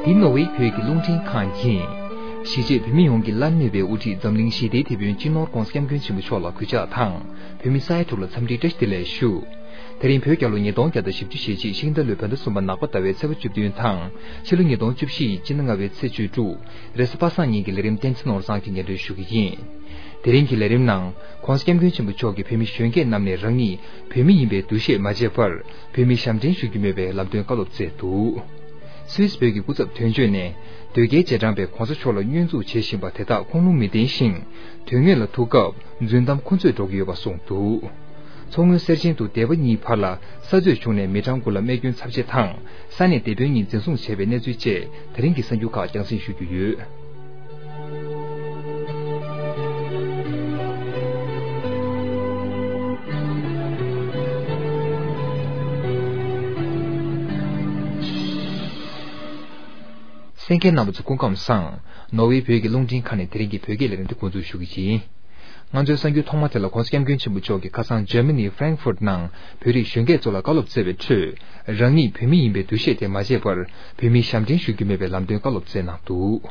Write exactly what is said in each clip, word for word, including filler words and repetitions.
འདི་ནོར་ཝེ་བོད་ཀྱི་རླུང་འཕྲིན་ཁང་ཡིན། གཞིས་བྱེས་བོད་མི་ཡོངས་ཀྱི་བླ་ན་མེད་པའི་དབུ་ཁྲིད་འཛམ་གླིང་ཞི་བདེའི་དེད་དཔོན་སྤྱི་ནོར་༧གོང་ས་༧སྐྱབས་མགོན་ཆེན་པོ་མཆོག་ལ་གུས་ཕྱག་དང་། བོད་མི་ས་ཡ་དྲུག་ལ་འཚམས་འདྲིའི་བཀྲ་ཤིས་བདེ་ལེགས་ཞུ། དེ་རིང་བོད་རྒྱལ་ལོ་ཉིས་སྟོང་བརྒྱ་དང་བཞི་བཅུ་ཞེ་གཅིག་ཤིང་རྟ་ལོའི་བོད་ཟླ་གསུམ་པ་ནག་པ་ཟླ་བའི་ཚེས་པ་བཅུ་བདུན་དང་། ཕྱི་ལོ་ཉིས་སྟོང་བཅུ་བཞི་ཡི་སྤྱི་ཟླ་ལྔ་པའི་ཚེས་བཅུ་དྲུག་རེས་གཟའ་པ་སངས་ཉིན་གྱི་ལས་རིམ་བསྟན་འཛིན་ནོར་བཟང་གིས་སྙན་སྒྲོན་ཞུ་གི་ཡིན། དེ་རིང་གི་ལས་རིམ་ནང་༧གོང་ས་༧སྐྱབས་མགོན་ཆེན་པོ་མཆོག་གིས་བོད་མི་གཞོན་སྐྱེས་རྣམས་ནས་རང་ཉིད་བོད་མི་ཡིན་པའི་འདུ་ཤེས་མ་བརྗེད་པར་བོད་མིའི་ཞབས་འདྲེན་ཞུ་རྒྱུ་མེད་པའི་ལམ་སྟོན་བཀའ་སློབ་སྩལ་འདུག་སུད་སི་བོད་ཀྱི་སྐུ་ཚབ་དོན་གཅོད་ནས་དོལ་རྒྱལ་རྗེས་འབྲང་པས་༧གོང་ས་མཆོག་ལ་བསྙོན་འཛུགས་བྱེད་བཞིན་པ་དེ་དག་ཁུངས་ལུང་མི་ལྡན་ཞིང་། དོན་དངོས་ལ་ཐུག་སྐབས་རྫུན་གཏམ་ཁུ་ཚོས་སྒྲོག་གི་ཡོད་པ་གསུངས་འདུག་མཚོ་སྔོན་གསེར་ཆེན་དུ་སྡེ་པ་གཉིས་བར་ལ་ས་རྩོད་བྱུང་ནས་མི་གྲངས་དགུ་ལ་རྨས་སྐྱོན་ཚབས་ཆེ་དང་། ས་གནས་སྡེ་དཔོན་གཉིས་འཛིན་བཟུང་བྱས་པའི་གནས་ཚུལ་བཅས་དེ་རིང་གི་གསར་འགྱུར་ཁག་རྒྱང་སྲིང་ཞུ་རྒྱུ་ཡོད། གསན་མཁན་རྣམ་པ་ཚོ་སྐུ་ཁམས་བཟང་། ནོར་ཝེ་བོད་ཀྱི་རླུང་འཕྲིན་ཁང་ནས་དེ་རིང་གི་བོད་སྐད་ལས་རིམ་དེ་འགོ་འཛུགས་ཞུ་གི་ཡིན། ང་ཚོའི་གསར་འགྱུར་ཐོག་མ་དེ་ལ་༧གོང་ས་༧སྐྱབས་མགོན་ཆེན་པོ་མཆོག་གིས་ཁ་སང་འཇར་མ་ནིའི་ཧྥ་རེང་ཧྥུར་ནང་བོད་རིགས་གཞོན་སྐྱེས་ཚོ་ལ་བཀའ་སློབ་སྩལ་བའི་ཁྲོད། རང་ཉིད་བོད་མི་ཡིན་པའི་འདུ་ཤེས་དེ་མ་བརྗེད་པར་བོད་མིའི་ཞབས་འདྲེན་ཞུ་རྒྱུ་མེད་པའི་ལམ་སྟོན་བཀའ་སློབ་སྩལ་གནང་འདུག་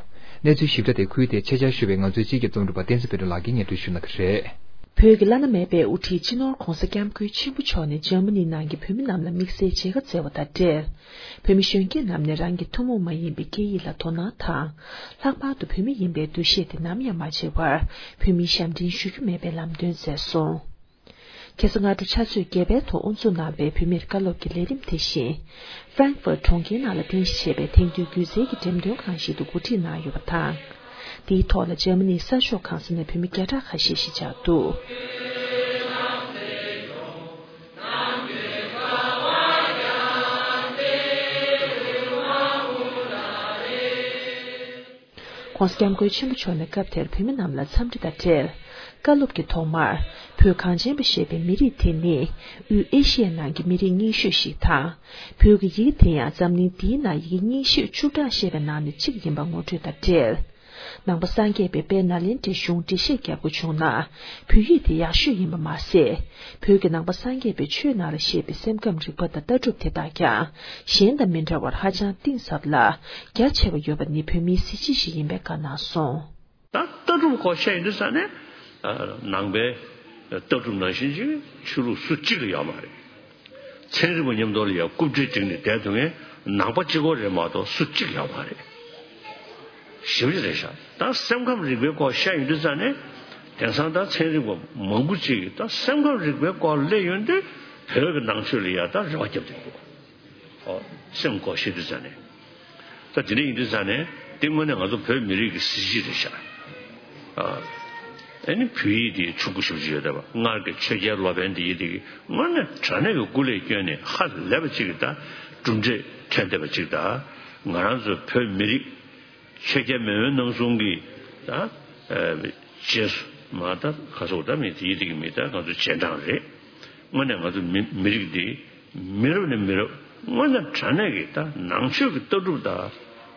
གནས་ཚུལ་ཞིབ་ཕྲ་དེ་ཁུལ་དེར་ཆེད་བཅར་ཞུས་པའི་ང་ཚོའི་སྤྱི་ཁྱབ་རྩོམ་སྒྲིག་པ་བསྟན་འཛིན་དཔལ་སྒྲོན་ལགས་ཀྱིས་སྙན་སྒྲོན་ཞུ་གནང་གི་རེད། བོད་ཀྱི་བླ་ན་མེད་པའི་དབུ་ཁྲིད་སྤྱི་ནོར་༧གོང་ས་༧སྐྱབས་མགོན་ཆེན་པོ་མཆོག་ནས་འཇར་མ་ནི་ནང་གི་བོད་མི་རྣམས་ལ་དམིགས་བསལ་མཇལ་ཁ་བསྩལ་བ་དང་འབྲེལ། བོད་མི་གཞོན་སྐྱེས་རྣམས་ནས་རང་གི་ཐུན་མོང་མ་ཡིན་པའི་སྐད་ཡིག་ལ་དོ་སྣང་དང་། ལྷག་པར་དུ་བོད་མི་ཡིན་པའི་འདུ་ཤེས་དེ་ནམ་ཡང་མ་བརྗེད་པར་བོད་མིའི་ཞབས་འདྲེན་ཞུ་རྒྱུ་མེད་པའི་ལམ་སྟོན་མཛད་སོང་། ཁ་སང་སྔ་དྲོ་ཕྱག་ཚོད་བརྒྱད་པའི་ཐོག་དབུ་འཛུགས་གནང་བའི་བུད་མེད་བཀའ་སློབ་ཀྱི་ལས་རིམ་དེ་བཞིན། ཧྥ་རེང་ཧྥུར་གྲོང་ཁྱེར་ནང་ལ་རྟེན་གཞི་བྱས་པའི་དེང་དུས་སྒྱུ་རྩལ་གྱི་འགྲེམས་སྟོན་ཁང་ཞིག་ཏུ་གོ་སྒྲིག་གནང་ཡོད་པ་དང་། དེའི་ཐོག་ལ་འཇར་མ་ནིའི་གསར་ཤོག་ཁང་གསར་ནས་བུད་མེད་བརྒྱ་ཕྲག་ཁ་ཤས་ཤིག་བཅར་འདུག ྋགོང་ས་ྋསྐྱབས་མགོན་ཆེན་པོ་མཆོག་ནས་སྐབས་དེར་བོད་མི་རྣམས་ལ་འཚམས་འདྲི་དང་འབྲེལ། བཀའ་སློབ་ཀྱི་ཐོག་མར། བོད་གངས་ཅན་པ་ཞེས་པའི་མི་རིགས་དེ་ནི། དབུས་ཨེ་ཤི་ཡའི་ནང་གི་མི་རིགས་རྙིང་ཤོས་ཤིག་དང་། བོད་ཀྱི་ཡི་གེ་དེ་ཡང་འཛམ་གླིང་འདིའི་ནང་ཡི་གེ་རྙིང་ཤོས་བཅུ་གྲངས་བཤད་པའི་ནང་ནས་གཅིག་ཡིན་པ་ངོ་སྤྲོད་དང་འབྲེལ། ནང་པ་སངས་རྒྱས་པའི་དཔལ་ནཱ་ལེནྡྲའི་གཞུང་འགྲེལ་བཤད་རྒྱག་དགོས་བྱུང་ན། བོད་ཡིག་དེ་ཡག་ཤོས་ཡིན་པ་མ་ཟད། བོད་ཀྱི་ནང་པ་སངས་རྒྱས་པའི་ཆོས་ནང་ལ་བཤད་པའི་སེམས་ཁམས་རིག་པ་དང་ལྟ་གྲུབ་དེ་དག་ཀྱང་གཞན་དང་མི་འདྲ་བར་ཧ་ཅང་གཏིང་ཟབ་ལ་རྒྱ་ཆེ་བ་ཡོད་པ་ནི་བོད་མིའི་གཟི་བརྗིད་ཞིག་ཡིན་པའི་བཀའ་གནང་སོང་། ད་ལྟ་གྲུབ་སྐོར་བཤད་ཡོང་དུས་ཙ་ནས། ནང་པའི་ལྟ་གྲུབ་ནང་བཞིན་ཅིག་ཆོས་ལུགས་སུ་གཅིག་ལ་ཡོད་མ་རེད། ཚན་རིག་པ་མཉམ་དུ་ལ་ཡ་རྐུབ་སྟེགས་བསྒྲིགས་ནས་བསྡད་ཐུབ་མཁན་ནང་པ་གཅིག་པོ་རེད་མ་གཏོགས་སུ་གཅིག་ཡོད་མ་རེད། ཞེ་པོ་ཅིག་རེད་ཤག་ད་སེམས་ཁམས་རིག་པའི་སྐོར་བཤད་ཡོང་དུས་ཙ་ནས། དེང་སང་ད་ཚན་རིག་པ་མང་པོ་ཅིག་ད་སེམས་ཁམས་རིག་པའི་སྐོར་སླེབས་ཡོང་དུས་བོད་ཀྱི་ནང་ཆོས་ལ་ཡ་ད་རེ་བ་བརྒྱབ་བསྡད་འདུག་ཨོ། སེམས་སྐོར་བཤད་དུས་ཙ་ནས། ད་དེ་འདྲ་ཡིན་དུས་ཙ་ནས་དེ་དངོས་གནས་ང་ཚོ་བོད་མི་རིགས་ཀྱི་གཟི་བརྗིད་རེད་ཤག་ཨ། ཨ་ནི་བོད་ཡིག་དེ་ཕྱུག་པོ་ཞེ་པོ་ཅིག་ཡོད་བསྡད་པ། སྔར་གྱི་ཆོས་རྒྱལ་སློབ་དཔོན་དེ་ཡིན་དེ་གི་དངོས་གནས་དྲང་གནས་ཀྱི་སྐུ་ལས་བསྐྱོན་ནས་ཧ་ལས་པ་ཅིག་གི་ད་གྲུབ་འབྲས་ཐོན་བསྡད་པ་ཅིག་ད་ང་རང་ཚོ་བོད་མི་རིགས་ཆོས་རྒྱལ་མེས་དབོན་རྣམ་གསུམ་གྱི་ད་ཨ་རྗེས་སུ་མ་ད་ཁ་སོག་ད་མི་དེ་ཡིན་དེ་གི་མི་ད་ང་ཚོ་རྗེས་འབྲང་རེད། དངོས་གནས་ང་ཚོ་མི་མི་རིགས་འདི་མི་རབས་ནས་མི་རབས་དངོས་གནས་དྲང་གནས་ཀྱི་ད་ནང་ཆོས་ཀྱི་ལྟ་གྲུབ་དང་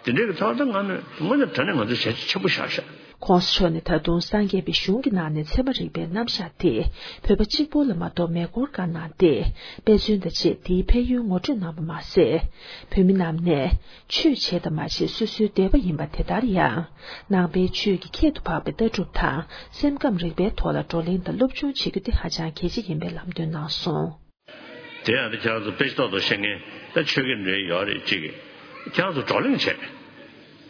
དེ་འདྲའི་གི་ཐོག་ད་ང་ནི་དངོས་གནས་དྲང་གནས་ང་ཚོ་བྱས་རྗེས་ཆེན་པོ་བཞག་ཤག ྋགོང་ས་མཆོག་ནས་ད་དུང་སངས་རྒྱས་པའི་གཞུང་གི་ནང་ནས་ཚད་མ་རིག་པའི་རྣམ་གཞག་དེ་བོད་པ་གཅིག་པོ་ལ་མ་གཏོགས་མེ་འཁོར་བཀའ་གནང་སྟེ། དཔེ་མཚོན་དང་བཅས་དེའི་ཕན་ཡོན་ངོ་སྤྲོད་གནང་བ་མ་ཟད། བོད་མི་རྣམས་ནས་ཆོས་བྱས་དང་མ་བྱས་སོ་སོའི་འདོད་པ་ཡིན་པ་དེ་ལྟར་ཡང་། ནང་པའི་ཆོས་ཀྱི་ཁྱད་དུ་འཕགས་པའི་ལྟ་གྲུབ་དང་སེམས་ཁམས་རིག་པའི་ཐོག་ལ་བགྲོ་གླེང་དང་སློབ་སྦྱོང་བྱེད་རྒྱུ་དེ་ཧ་ཅང་གལ་ཆེ་ཡིན་པའི་ལམ་སྟོན་གནང་སོང་། དེ་ཡང་ད་ཁྱེད་རང་ཚོ་དཔེ་ཆ་ཏོག་ཏོག་ཤེས་མཁན་ད་ཆོས་དགེ་འདྲ་ཡོད་རེད་ཅིག་ཁྱེད་རང་ཚོ་བགྲོ་གླེང་བྱས།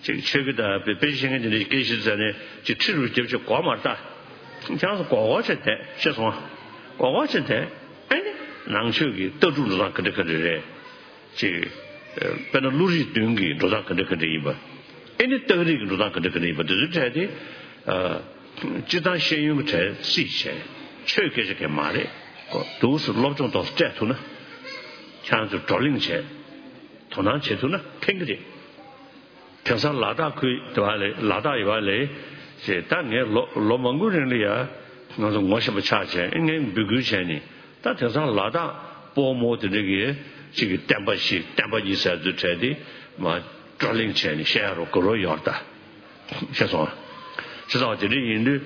ཅིག་ཆོས་དགེ་དང་དཔེ་དཔེ་ཆ་ཤེས་མཁན་དེ་འདྲ་སྐད་ཆ་ཟེར་ནས་ཅིག་ཁྲི་རུ་རྒྱབ་ཅིག་གོ་མ་ལྟ། ཁྱེད་རང་ཚོ་གོ་གོ་བྱས་བསྡད་ཤེས་སོང་ཨ། གོ་གོ་བྱས་བསྡད། ཨེ་ནི་ནང་ཆོས་ཀྱི་ལྟ་གྲུབ་འགྲོ་སྟངས་ག་འདྲ་ག་འདྲ་རེད། ཅིག་དཔེར་ན་བློ་རིག་བདུན་གྱི་འགྲོ་སྟངས་ག་འདྲ་ག་འདྲ་ཡིན་པ། ཨེ་ནི་རྟགས་རིགས་ཀྱི་འགྲོ་སྟངས་ག་འདྲ་ག་འདྲ་ཡིན་པ་འདི་ཚོའི་གྲས་དེ། སྤྱིར་བཏང་ཤེས་ཡོན་གྱི་གྲས་རྩིས་བྱས། ཆོས་སྐད་ཆ་གས་མ་རེད། འདུག་སེ་སློབ་སྦྱོང་ཏོག་ཙམ་སྤྲད་ཐུབ་ན། ཁྱེད་རང་ཚོས་བགྲོ་གླེང་བྱས། དོ་སྣང་བྱེད་ཐུབ་ན་ཕན་གྱི་རེད། དེང་སང་ལ་དྭགས་ཁུལ་དུ་བ་ལས་ལ་དྭགས་ཡོད་བ་ལས། ཞེས་ད་ངས་ལོ་ལོ་མང་པོའི་རིང་ལ་ཡ། ང་ཚོ་ངོ་ཤེས་པ་ཆགས་བྱས་ངས་འབོད་སྐུལ་བྱས་ནས། ད་དེང་སང་ལ་དྭགས་སྤོ་རྨོ་དེ་འདྲ་གི་གཅིག་གི་བསྟན་པ་ཞིག་བསྟན་པ་གཉིས་ཟེར་ཚུལ་བྲལ་ཏེ་མ་བགྲོ་གླེང་བྱས་ནས་བཤད་རོགས་དགོས་རོགས་ཡོད་ད། ཤེས་སོང་ཨ། ཤེས་སོང་ཨ། དེ་འདྲ་ཡིན་དུས་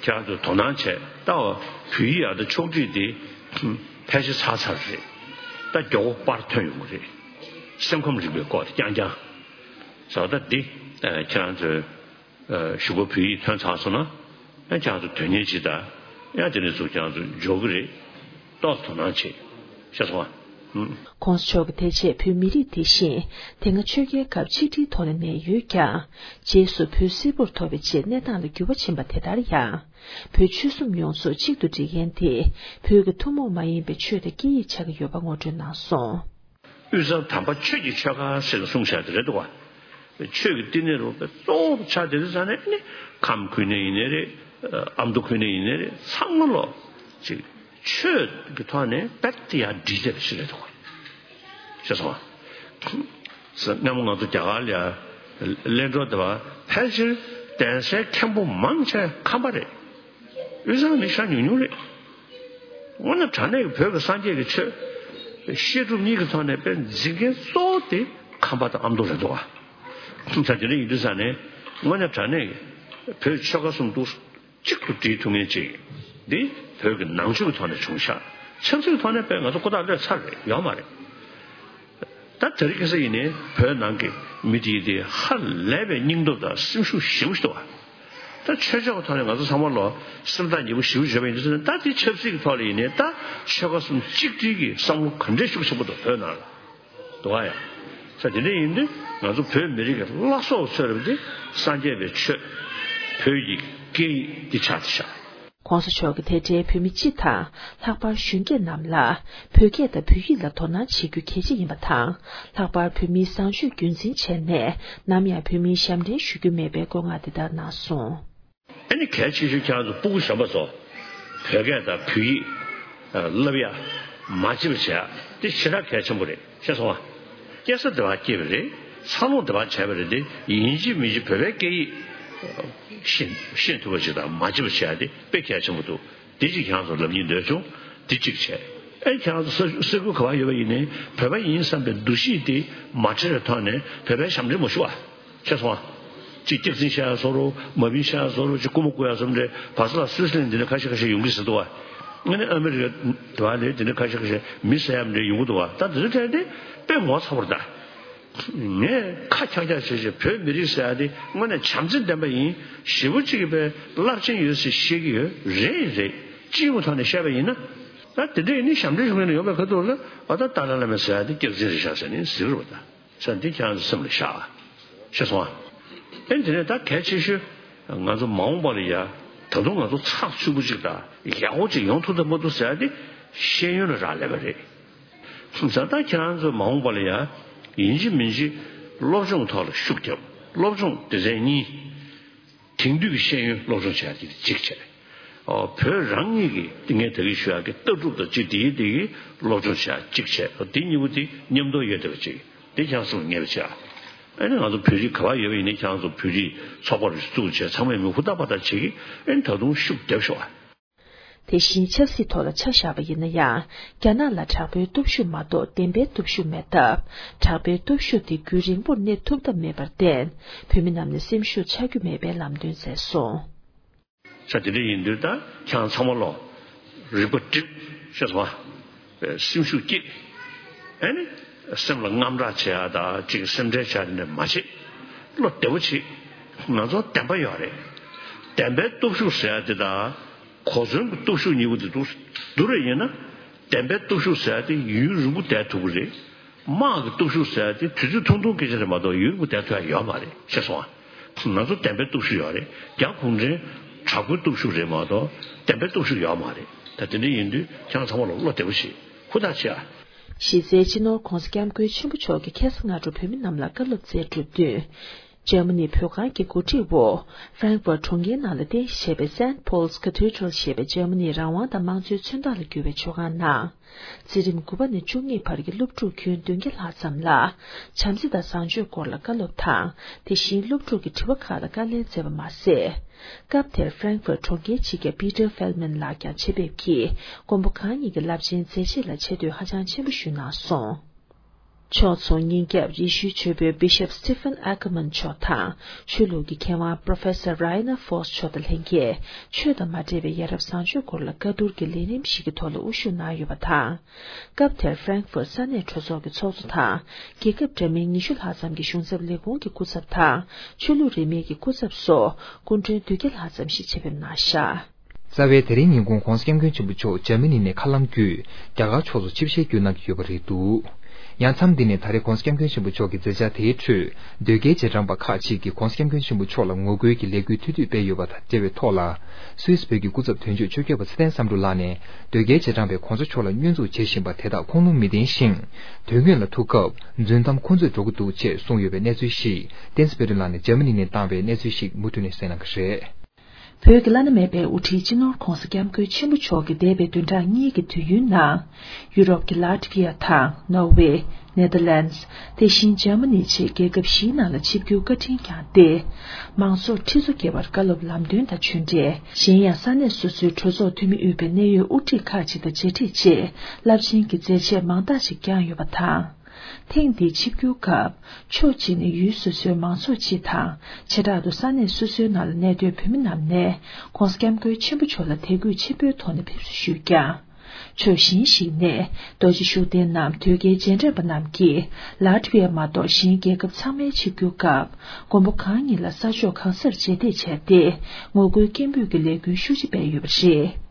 ཁྱེད་རང་ཚོས་དོ་སྣང་བྱས་ད་བ་བོད་ཡིག་ཨ་ད་ཕྱོགས་སྒྲིག་དེ་ཕལ་ཆེར་ཚར་ཚར་རེད། ད་མགྱོགས་པོ་པར་ཐོན་ཡོང་གི་རེད། སེམས་ཁམས་རིག་པའི་སྐོར་དེ་རྐྱང་རྐྱང་། བཟོ་ལྟ་འདི་ཁྱེད་རང་ཚོས་གཞུག་གུ་བོད་ཡིག་ཐོན་ཚར་སོང་ན་ཡང་ཁྱེད་རང་ཚོ་དོན་གཉེར་བྱེད་དང་ཡང་དེ་ནས་ཚུར་ཁྱེད་རང་ཚོ་འབྱོར་གི་རེད། ཏོག་དོ་སྣང་བྱེད་ཤེས་སོང་ང་། ༸གོང་ས་མཆོག་གིས་དེ་རྗེས་བོད་མི་རིགས་དེ་བཞིན་དེ་སྔ་ཆོས་རྒྱལ་སྐབས་ཆིག་སྒྲིལ་ཐོག་ནས་གནས་ཡོད་ཀྱང་རྗེས་སུ་བོད་སིལ་བུར་ཐོར་བའི་རྗེས་གནས་སྟངས་ལ་འགྱུར་བ་ཕྱིན་པ་དེ་ལྟར་ཡང་བོད་ཆོལ་གསུམ་ཡོངས་རྫོགས་གཅིག་ཏུ་སྒྲིལ་མཁན་དེ་བོད་ཀྱི་ཐུན་མོང་མ་ཡིན་པའི་ཆོས་དང་སྐད་ཡིག་ཆགས་ཀྱི་ཡོད་པ་ངོ་སྤྲོད་གནང་སོང་། དབུས་གཙང་དམ་པ་ཆོས་ཀྱི་ཆོལ་ཁ་ཟེར་ནས་གསུངས་བཞག་དེ་རེད་འདུག་བ། ཆོས་ཀྱི་བསྟི་གནས་རུ་པའི་གཙོ་བོ་ཆགས་དེ་རེད་ཟེར་ནས་ནི་ཁམས་ཁུལ་ནས་ཡིན་ནའི་རེད། ཨ་མདོ་ཁུལ་ནས་ཡིན་ནའི་རེད། ཚང་མ་ལོ་ཅིག་ཆོས་ཀྱི་ཐོག་ནས་རྦད་དེ་ཡར་སྒྲིལ་བསྡད་པ་ཞིག་རེད་འདུག་བ། ཤེས་སོང་བ། སྔ་མོ་ང་ཚོ་རྒྱ་གར་ལ་ཡ་གླེང་གྲོགས་དེ་བ་ཕལ་ཆེར་གདན་སའི་མཁན་པོ་མང་ཆེ་ཁམས་པ་རེད། དབུས་གཙང་མི་ཤ་ཉུང་ཉུང་རེད། དངོས་གནས་དྲང་གནས་ཀྱི་བོད་ཀྱི་སངས་རྒྱས་ཀྱི་ཆོས་བཤད་སྒྲུབ་གཉིས་ཀྱི་ཐོག་ནས་དཔེ་འཛིན་མཁན་གཙོ་བོ་དེ་ཁམས་པ་དང་ཨ་མདོ་རེད་འདུག་བ། ད་དེ་འདྲ་ཡིན་དུས་ཙང་ནས་དངོས་གནས་དྲང་གནས་ཀྱི་བོད་ཆོལ་ཁ་གསུམ་འདུག་གཅིག་ཏུ་སྒྲིལ་ཐུབ་མཁན་ཅིག་འདི་བོད་ཀྱི་ནང་ཆོས་ཀྱི་ཐོག་ནས་བྱུང་ཤག་ཆབ་སྲིད་ཀྱི་ཐོག་ནས་དཔེ་ང་ཚོ་ཁོ་ཐག་ལོས་ཚར་རེད། ཡོད་མ་རེད། ད་དེ་རིང་ཁ་སང་ཡིན་ནའི་བོད་ནང་གི་མི་དེ་དེ་ཧ་ལས་པའི་སྙིང་སྟོབས་དང་སེམས་ཤུགས་ཞེ་པོ་ཞིག་འདུག་བ། ད་ཆོས་ཕྱོགས་ཀྱི་ཐོག་ནས་ང་ཚོ་ཚང་མ་ལོ་སེམས་ཐག་ཉེ་པོ་ཞེ་པོ་བྱས་པ་ཡིན་དུས་ཙང་ནས། ད་དེ་ཆབ་སྲིད་ཀྱི་ཐོག་ལ་ཡིན་ནའི་ད་ཆོལ་ཁ་གསུམ་གཅིག་སྒྲིལ་གྱི་བསམ་བློ་ག་འདྲས་ཤུགས་ཆེན་པོ་འདུག་བོད་ནང་ལ་འདུག་བ་ཡ། ས་དེ་འདྲས་ཡིན་དུས་ང་ཚོ་བོད་མི་རིགས་ཀྱི་བླ་སྲོག་ཚོད་རབས་དེ་སངས་རྒྱས་པའི་ཆོས། བོད་ཀྱི་སྐད་ཡིག་འདི་ཆགས་བསྡད་ཤག ༸གོང་ས་མཆོག་གིས་དེ་འབྲེལ་བོད་མི་སྤྱི་དང་ལྷག་པར་གཞོན་སྐྱེས་རྣམས་ལ་བོད་སྐད་དང་བོད་ཡིག་ལ་དོ་སྣང་བྱེད་རྒྱུ་གལ་ཆེ་ཡིན་པ་དང་། ལྷག་པར་བོད་མིའི་བཟང་སྤྱོད་རྒྱུན་འཛིན་བྱས་ནས་ནམ་ཡང་བོད་མིའི་ཞབས་འདྲེན་ཞུ་རྒྱུ་མེད་པའི་བཀའ་མོལ་འདི་ལྟར་གནང་སོང་། ཨ་ནི་གལ་ཆེ་ཤོས་ཁྱེད་རང་ཚོ་སྤུ་གུ་གཞོན་པ་ཚོ་བོད་སྐད་དང་བོད་ཡིག་བསླབ་ཡ་མ་བརྗེད་པ་བྱེད་ཡ་དེ་ཞེ་དྲག་གལ་ཆེན་པོ་རེད། ཤེས་སོང་ང་། སྐྱེ་ས་དེ་བ་སྐྱེས་པ་རེད། འཚར་ལོངས་དེ་བ་བྱས་པ་རེད་དེ། ཡིན་གཅིག་མིན་གཅིག་བོད་པའི་སྐད་ཡིག་ཤེས་ཤེས་ཐུབ་པ་ཞིག་དང་མ་བརྗེད་པ་བྱེད་ཡ་དེ་དཔེ་གལ་ཆེན་པོ་འདུག་དེ་གཅིག་ཁྱེད་རང་ཚོ་ལབ་སྙིང་འདོད་བྱུང་། དེ་གཅིག་བྱས། ཨེ་ཁྱེད་རང་ཚོ་ས་ས་ཁུལ་ག་བ་ཡོད་པ་ཡིན་ནའི་བོད་པ་ཡིན་བསམ་པའི་འདུ་ཤེས་དེ་མ་བྲལ་བའི་ཐོག་ནས་བོད་པའི་ཞབས་འདྲེན་མ་ཞུ་བ། ཤེས་སོང་ང་། གཅིག་སྐྱག་རྫུན་བཤད་ཡ་བཟོ་འདྲ། མ་བིན་བཤད་ཡ་བཟོ་འདྲ། གཅིག་རྐུ་མ་རྐུ་ཡ་བཟོ་འདྲ། བར་ས་ལ་སུད་སི་ལན་འདི་འདྲ་ཁ་ཤས་ཁ་ཤས་ཡོང་གི་ཟེར་འདུག་བ། ཨ་ནི་ཨ་མི་རི་ཀ་དེ་བ་ལས་འདི་འདྲ་ཁ་ཤས་ཁ་ཤས་མི་ཟ་ཡ་འདྲ་ཡོང་གི་འདུག་བ། ད་འདི་འདྲ་ཐད་དེ་དཔེ་ངོ་ཚ་བོ་རེད་ད། ངས་ཁ་འཁྱག་འཁྱག་བྱས་བྱས་བོད་མི་རིགས་ཟེར་ཡ་དེ་དངོས་གནས་བྱམས་བརྩེ་ལྡན་པ་ཡིན། ཞེ་པོ་ཅིག་གི་དཔེ་རླབས་ཆེན་ཡོད་ཟེར་བཤད་ཀྱི་ཡོད། རེད་རེད། སྤྱི་ཡོངས་ཐོག་ནས་བཤད་པ་ཡིན་ན། ད་དེ་འདྲ་ཡིན་ནའི་ཞབས་འདྲེན་ཞུ་མཁན་ཡོད་པའི་ཁ་ཐུག་ལ་ཨ་ད་ཏཱ་ལའི་བླ་མས་ཟེར་ཡ་དེ་སྐྱག་རྫུན་རེད་ཤག་ཟེར་ནས་ཟེར་གི་རེད་པ། ད་ས་འདི་ཁྱེད་རང་ཚོ་སེམས་ལ་བཞག་ཤེས་སོང་ཨ། ཨེ་དེ་ནས་ད་གལ་ཆེ་ཤོས་ང་ཚོ་མ་འོངས་པ་ལ་ཡ་ད་དུང་ང་ཚོ་ཚགས་ཚུད་པོ་ཅིག་དང་ཡག་པོ་ཅིག་ཡོང་ཐུབ་ཐུབ་མ་ཐུབ་ཟེར་ཡ་དེ་ཤེས་ཡོན་ལ་རག་ལས་པ་རེད། ད་ལྟ་ཁྱེད་རང་ཚོ་མ་འོངས་པ་ལ་ཡ་ཡིན་གཅིག་མིན་གཅིག་སློབ་སྦྱོང་ཐོག་ལ་ཤུགས་རྒྱབ། སློབ་སྦྱོང་སྡེ་ཚན་གཉིས། དེང་དུས་ཀྱི་ཤེས་ཡོན་སློབ་སྦྱོང་བྱེད་ཡ་དེ་གཅིག་བྱས། ཨོ་བོད་རང་ཉིད་ཀྱི་ངས་ད་གིན་ཞུ་ཡ་གི་ལྟ་གྲུབ་དང་གཅིག་དེའི་དེ་གི་སློབ་སྦྱོང་བྱེད་ཡ་གཅིག་བྱས། ཨོ་དེ་གཉིས་པོ་དེ་མཉམ་དུ་ཡོད་བསྡད་པ་གཅིག་དེ་ཁྱེད་རང་ཚོ་ངེས་པ་བྱེད་ཨ། ཨ་ནི་ང་ཚོ་བོད་རིགས་ག་པར་ཡོད་པ་ཡིན་ནའི་ཁྱེད་རང་ཚོ་བོད་རིགས་ཚོགས་པ་རེ་བཙུགས་བྱས་ཚང་མས་མོས་གུས་རྟག་པར་དང་བྱེད་ཀྱི། ཨ་ནི་ད་དུང་ཤུགས་རྒྱབ་ཤོག་ཨ། དེ་བཞིན་ཆབ་སྲིད་ཐོག་ལ་ཆ་བཞག་པ་ཡིན་ན་ཡང་། རྒྱ་ནག་ལ་དྲག་པོའི་སྟོབས་ཤུགས་མ་གཏོགས་བདེན་པའི་སྟོབས་ཤུགས་མེད་སྟབས། དྲག་པོའི་སྟོབས་ཤུགས་དེ་རྒྱུན་རིང་པོར་གནས་ཐུབ་ཐབས་མེད་པར་བརྟེན། བོད་མི་རྣམས་ནས་སེམས་ཤུགས་ཆག་རྒྱུ་མེད་པའི་ལམ་སྟོན་མཛད་སོང་། ས་དེ་འདྲ་ཡིན་དུས་ད་ཁྱེད་རང་ཚང་མ་ལོ་རིག་པ་བསྒྲིམས། ཤེས་སོང་ཨ། སེམས་ཤུགས་སྐྱེད། ཨ་ནི་སེམས་ལ་དངངས་སྐྲག་བྱེད་ཡ་ད་ཅིག་སེམས་ཁྲལ་བྱེད་ཡ་དེ་འདྲ་མ་བྱེད། བློ་བདེ་པོ་བྱེད། ང་ཚོ་བདེན་པ་ཡོད་རེད། བདེན་པའི་སྟོབས་ཤུགས་ཟེར་ཡ་དེ་དང་གོ་མཚོན་གྱི་སྟོབས་ཤུགས་གཉིས་པོ་དེ་འདུག་བསྡུར་བ་ཡིན་ན། བདེན་པའི་སྟོབས་ཤུགས་ཟེར་ཡ་དེ་ཡུན་རིང་པོ་བསྡད་ཐུབ་ཀྱི་རེད། དམག་གི་སྟོབས་ཤུགས་ཟེར་ཡ་དེ་དུས་ཚོད་ཐུང་ཐུང་སྐད་ཆ་རེད་མ་གཏོགས་ཡུན་རིང་པོ་བསྡད་ཐུབ་ཡ་ཡོད་མ་རེད། ཤེས་སོང་ཨ། ང་ཚོ་བདེན་པའི་སྟོབས་ཤུགས་ཡོད་རེད། རྒྱ་གུང་ཁྲན་དྲག་པོའི་སྟོབས་ཤུགས་རེད་མ་གཏོགས་བདེན་པའི་སྟོབས་ཤུགས་ཡོད་མ་རེད། ད་དེ་འདྲ་ཡིན་དུས་ཁྱེད་རང་ཚང་མ་ལ་བློ་བདེ་པོ་བྱེད། ཧུར་ཐག་བྱེད་ཨ། གཞི་རྩའི་སྤྱི་ནོར་༸གོང་ས་༸སྐྱབས་མགོན་ཆེན་པོ་མཆོག་གིས་ཁ་སང་སྔ་དྲོ་བོད་མི་རྣམས་ལ་བཀའ་སློབ་སྩལ་གྲུབ་བསྟུན། འཇར་མ་ནི་བོད་ཁང་གི་གོ་སྒྲིག་འོག་ཧྥ་རན་ཁི་ཕུར་གྲོང་ཁྱེར་ནང་ལ་རྟེན་གཞི་བྱས་པའི་Saint Paul's Cathedral ཞེས་པའི་འཇར་མ་ནིའི་རང་དབང་དང་དམངས་གཙོའི་མཚོན་རྟགས་ལ་གྱུར་པའི་ཆོས་ཁང་ནང་། འཛིན་རིམ་དགུ་པ་ནས་བཅུ་གཉིས་བར་གྱི་སློབ་ཕྲུག་ཁྱོན་བདུན་བརྒྱ་ལྷག་ཙམ་ལ། བྱམས་བརྩེ་དང་བཟང་སྤྱོད་སྐོར་ལ་བཀའ་སློབ་དང་། དེ་བཞིན་སློབ་ཕྲུག་གི་དྲི་བ་ཁག་ལ་བཀའ་ལན་སྩལ་བ་མ་ཟད། སྐབས་དེར་ཧྥ་རན་ཁི་ཕུར་གྲོང་ཁྱེར་སྤྱི་ཁྱབ་པི་ཏར་ཧྥེལ་མན་ལགས་ཀྱང་ཆེད་ཕེབས་ཀྱིས་མགོན་པོ་གང་ཉིད་ཀྱི་རླབས་ཆེན་མཛད་རྗེས་ལ་ཆེ་བསྟོད་ཧ་ཅང་ཆེན་པོ་ཞུས་གནང་སོང་། ཕྱོགས་མཚུངས་ཉིན་རྒྱབ་ཡེ་ཤུའི་ཆོས་དཔོན་Bishop Stephen Ackerman མཆོག་དང་ཆོས་ལུགས་ཀྱི་མཁས་དབང་Professor Rainer Fox མཆོག་དང་ལྷན་རྒྱས་ཆོས་དང་མ་འབྲེལ་བའི་ཡ་རབས་བཟང་སྤྱོད་སྐོར་ལ་བཀའ་བསྡུར་གྱི་ལས་རིམ་ཞིག་གི་ཐོག་ལ་དབུ་བཞུགས་གནང་ཡོད་པ་དང་། སྐབས་དེར་Frankfurt ས་གནས་གྲོས་ཚོགས་ཀྱི་ཚོགས་གཙོ་དང་རྒྱལ་ཁབ་འདྲ་མིན་ཉི་ཤུ་ལྷག་ཙམ་གྱི་གཞུང་ཚབ་ལས་ཁུངས་ཀྱི་སྐུ་ཚབ་དང་ཆོས་ལུགས་རིས་མེད་ཀྱི་སྐུ་ཚབ་སོགས་སྐུ་མགྲོན་སྡུད་བརྒྱ་ལྷག་ཙམ་ཞིག་ཆེད་ཕེབས་གནང་བཞག་རྩ་བའི་དེ་རིང་ཉིན་གུང་༧གོང་ས་༧སྐྱབས་མགོན་ཆེན་པོ་མཆོག་འཇར་མ་ནི་ནས་མཁའ་ལམ་བརྒྱུད་རྒྱ་གར་ཕྱོགས་སུ་ཆིབས་ཞལ་བསྒྱུར་གནང་གི་ཡོད་པ་རེད་འདུག་ཡང་མཚམས་འདི་ནས་ད་རེས་༧གོང་ས་༧སྐྱབས་མགོན་ཆེན་པོ་མཆོག་གི་མཛད་འཆར་དེའི་ཁྲོད་དོལ་རྒྱལ་རྗེས་འབྲང་པ་ཁག་ཅིག་གིས་༧གོང་ས་༧སྐྱབས་མགོན་ཆེན་པོ་མཆོག་ལ་ངོ་རྒོལ་གྱི་ལས་འགུལ་ཐུགས་འདོད་སྤེལ་ཡོད་པ་དང་འབྲེལ་བའི་ཐོག་ལ། སུད་སི་བོད་ཀྱི་སྐུ་ཚབ་དོན་གཅོད་ཆོས་རྒྱལ་པ་ཚེ་བརྟན་བསམ་གྲུབ་ལགས་ནས་དོལ་རྒྱལ་རྗེས་འབྲང་པས་༧གོང་ས་མཆོག་ལ་བསྙོན་འཛུགས་བྱེད་བཞིན་པ་དེ་དག་ཁུངས་ལུང་མི་ལྡན་ཞིང་། དོན་དངོས་ལ་ཐུག་སྐབས་རྫུན་གཏམ་ཁུ་མཛོད་འགྲོ་གི་འདུག་ཅེས་གསུངས་ཡོད་པའི་གནས་ཚུལ་ཞིག་བསྟན་འཛིན་དཔལ་སྒྲོན་ལགས་ནས་འཇར་མ་ནི་ནས་བཏང་བའི་གནས་ཚུལ་ཞིག་མུ་མཐུད་ནས་གསན་གནང་གི་རེད། བོད་ཀྱི་བླ་ན་མེད་པའི་དབུ་ཁྲིད་སྤྱི་ནོར་༧གོང་ས་༧སྐྱབས་མགོན་ཆེན་པོ་མཆོག་གིས་འདས་པའི་བདུན་ཕྲག་གཉིས་ཀྱི་དུས་ཡུན་ནང་། ཡུ་རོབ་ཀྱི་ལ་ཏི་བྷི་ཡ་དང་ནོར་ཝེ། ནེ་དར་ལེན་ཌི། དེ་བཞིན་འཇར་མ་ནི་བཅས་རྒྱལ་ཁབ་བཞིའི་ནང་ལ་ཆིབས་བསྒྱུར་བཀའ་དྲིན་བསྐྱངས་ཏེ། མང་ཚོགས་ཁྲི་ཚོ་བརྒལ་བར་བཀའ་སློབ་ལམ་སྟོན་དང་ཆོས་འབྲེལ། གཞན་ཡང་ས་གནས་སོ་སོའི་གྲོས་ཚོགས་འཐུས་མི་དབུས་པའི་གནད་ཡོད་དབུ་ཁྲིད་ཁག་ཅིག་དང་མཇལ་འཕྲད་རྗེས་རླབས་ཆེན་གྱི་མཛད་རྗེས་མང་དག་ཅིག་བསྐྱངས་ཡོད་པ་དང་། ཐེངས་འདིའི་ཆིབས་བསྒྱུར་སྐབས་ཕྱོགས་གཅིག་ནས་ཡུལ་སོ་སོའི་མང་ཚོགས་སྤྱི་དང་བྱེ་བྲག་ཏུ་ས་གནས་སོ་སོའི་ནང་ལ་གནས་སྡོད་བོད་མི་རྣམས་ནས་༧གོང་ས་༧སྐྱབས་མགོན་ཆེན་པོ་མཆོག་ལ་དད་གུས་ཆེན་པོའི་ཐོག་ནས་ཕེབས་བསུ་ཞུས་ཀྱང་། ཕྱོགས་གཞན་ཞིག་ནས་རྡོ་རྗེ་ཤུགས་ལྡན་ནམ་དོལ་རྒྱལ་རྗེས་འབྲང་པ་རྣམས་ཀྱིས་ལ་ཏི་བྷི་ཡ་མ་གཏོགས་གཞན་རྒྱལ་ཁབ་ཚང་མའི་ཆིབས་བསྒྱུར་སྐབས་མགོན་པོ་གང་ཉིད་ལ་ས་ཕྱོགས་གང་སར་རྗེས་འདེད་བྱས་ཏེ་ངོ་རྒོལ་སྐད་འབོད་ཀྱི་ལས་འགུལ་ཤུགས་ཆེ་སྤེལ་ཡོད་པ་རེད།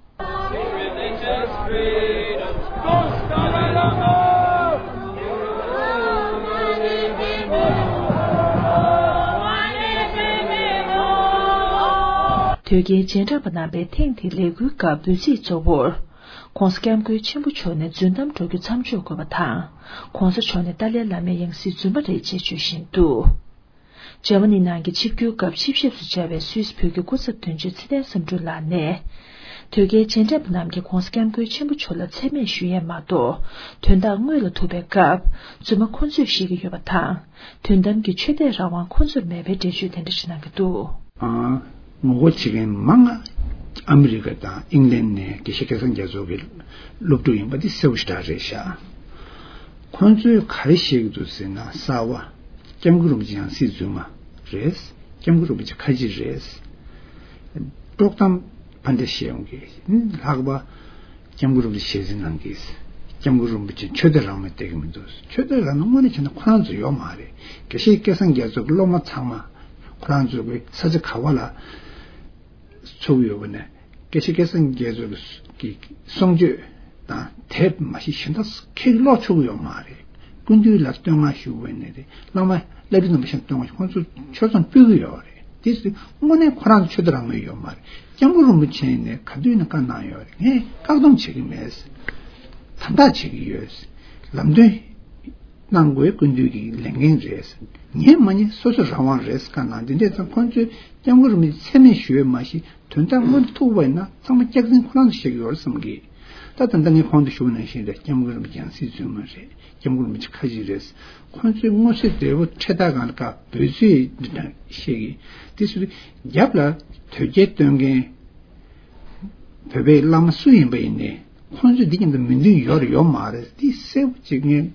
དོལ་རྒྱལ་རྗེས་འབྲང་པ་རྣམ་པའི་ཐེངས་འདིའི་ལས་འགུལ་སྐབས་འབོད་ཚིག་གཙོ་བོར། ༧གོང་ས་༧སྐྱབས་མགོན་ཆེན་པོ་མཆོག་ནས་རྫུན་གཏམ་སྒྲོག་རྒྱུ་མཚམས་འཇོག་དགོས་པ་དང་། ༧གོང་ས་མཆོག་ནི་ཏཱ་ལའི་བླ་མའི་ཡང་སྲིད་རྫུན་མ་རེད་ཅེས་བརྗོད་བཞིན་འདུག་འཇར་མ་ནི་ནང་གི་ཆིབས་བསྒྱུར་སྐབས་ཆིབས་ཞབས་སུ་བཅར་བའི་སུད་སི་བོད་ཀྱི་སྐུ་ཚབ་དོན་གཅོད་ཚེ་བརྟན་བསམ་གྲུབ་ལགས་ནས། དོལ་རྒྱལ་རྗེས་འབྲང་པ་རྣམས་ཀྱིས་༧གོང་ས་༧སྐྱབས་མགོན་ཆེན་པོ་མཆོག་ལ་མཚན་སྨད་ཞུ་ཡས་མ་གཏོགས། དོན་དག་དངོས་ལ་ཐུག་པའི་སྐབས་རྫུན་མ་ཁོ་ཚོས་བཤད་ཀྱི་ཡོད་པ་དང་། དོན་དམ་གྱི་ཆོས་དད་རང་དབང་ཁོ་ཚོར་མེད་པའི་འགྲེལ་བརྗོད་དེ་འདྲ་ཞིག་གནང་གི་འདུག་ཨ། ངོ་རྒོལ་བྱེད་མཁན་མང་ང་ཨ་མི་རི་ཀ་དང་ཨིང་ལན་ནས་དགེ་བཤེས་སྐལ་བཟང་རྒྱ་མཚོ་གི་སློབ་ཕྲུག་ཡིན་པ་འདི་གསལ་པོ་ཞེ་དྲག་རེད་ཤག་ཁོང་ཚོས་ག་རེ་བཤད་ཀྱི་འདུག་ཟེར་ན། གསར་བ། སྐྱབས་མགོན་རིན་པོ་ཆེ་ཡང་སྲིད་རྫུན་མ་རེད། སྐྱབས་མགོན་རིན་པོ་ཆེ་ཁ་ལྕེ་རེད། དཀྲོག་གཏམ་ཕར་འདྲེ་བཤད་ཡོང་གི། ལྷག་པ། སྐྱབས་མགོན་རིན་པོ་ཆེ་ཞལ་གཟིགས་གནང་གིས། སྐྱབས་མགོན་རིན་པོ་ཆེ་ཆོས་དད་རང་མོས་བསྡད་ཀྱི་མི་འདུག་ཆོས་དད་རང་མོས་དངོས་གནས་བྱས་ན་ཁོ་རང་ཚོ་ཡོད་མ་རེད། དགེ་བཤེས་སྐལ་བཟང་རྒྱ་མཚོ་གི་སློབ་མ་ཚང་མ་ཁོ་རང་ཚོ་གི་ས་ཆ་ག་བ་ལ་ཚུགས་ཡོད་པ་ནས། དགེ་བཤེས་སྐལ་བཟང་རྒྱ་མཚོ་གི་གསུང་ཆོས་དང་དེབ་མ་གཞི་གཞན་དག་ཁྱེད་ཀློག་ཆོག་གི་ཡོད་མ་རེད། སྐུ་མདུན་ལ་བསྟོད་བསྔགས་ཞུ་བ་ནས་རེད། བླ་མ་བསླབ་གྲྭ་རྣམ་པ་གཞན་བསྟོད་བསྔགས་ཁོང་ཚོ་ཆོས་ཚང་ཕུལ་གི་ཡོད་རེད། དེ་སུ་དངོས་གནས་ཁོ་རང་ཚོ་ཆོས་དད་རང་མོས་ཡོད་མ་རེད། སྐྱབས་མགོན་རིན་པོ་ཆེ་ནས་ག་དུས་ནས་བཀའ་གནང་ཡོད་རེད། ངས་བཀག་སྡོམ་བྱེད་ཀྱི་མེད། དམ་དྲག་བྱེད་ཀྱི་ཡོད། ལམ་སྟོན་གནང་དགོས་སྐུ་མདུན་གྱི་ལས་འགན་རེད། ཉན་མ་ཉན་སོ་སོ་རང་དབང་རེད། བཀའ་གནང་འདི་འདྲས་ཙང་ཁོང་ཚོས་སྐྱབས་མགོན་རིན་པོ་ཆེ་མཚན་སྨད་ཞུ་ཡས་མ་གཞི་དོན་དག་དངོས་ཐུག་པ་ཡིན་ན་ཚང་མ་སྐྱག་རྫུན་ཁོ་རང་ཚོ་བཤད་ཀྱི་ཡོད་རེད་བསམ་གི། ད་ད་ལྟ་ངས་གོང་དུ་ཞུ་བ་ནང་བཞིན་རེད། སྐྱབས་མགོན་རིན་པོ་ཆེ་ཡང་སྲིད་རྫུན་མ་རེད། སྐྱབས་མགོན་རིན་པོ་ཆེ་ཁ་ཅིག་རེད། ཁོང་ཚོས་མངོན་གསལ་དོད་པོ་འཕྲེད་དར་སྒང་ལ་བཀའ་འབོད་ཚིག་འདི་འདྲ་བཤད་གི། དེ་སུ་རྒྱབ་ལ་དོལ་རྒྱལ་སྟོན་མཁན་བོད་པའི་བླ་མ་སུ་ཡིན་པ་ཡིན་ནའི་ཁོང་ཚོས་འདི་མཉམ་དུ་མོས་མཐུན་ཡོད་རེད་ཡོད་མ་རེད། འདི་གསལ་པོ་ཅིག་ངས་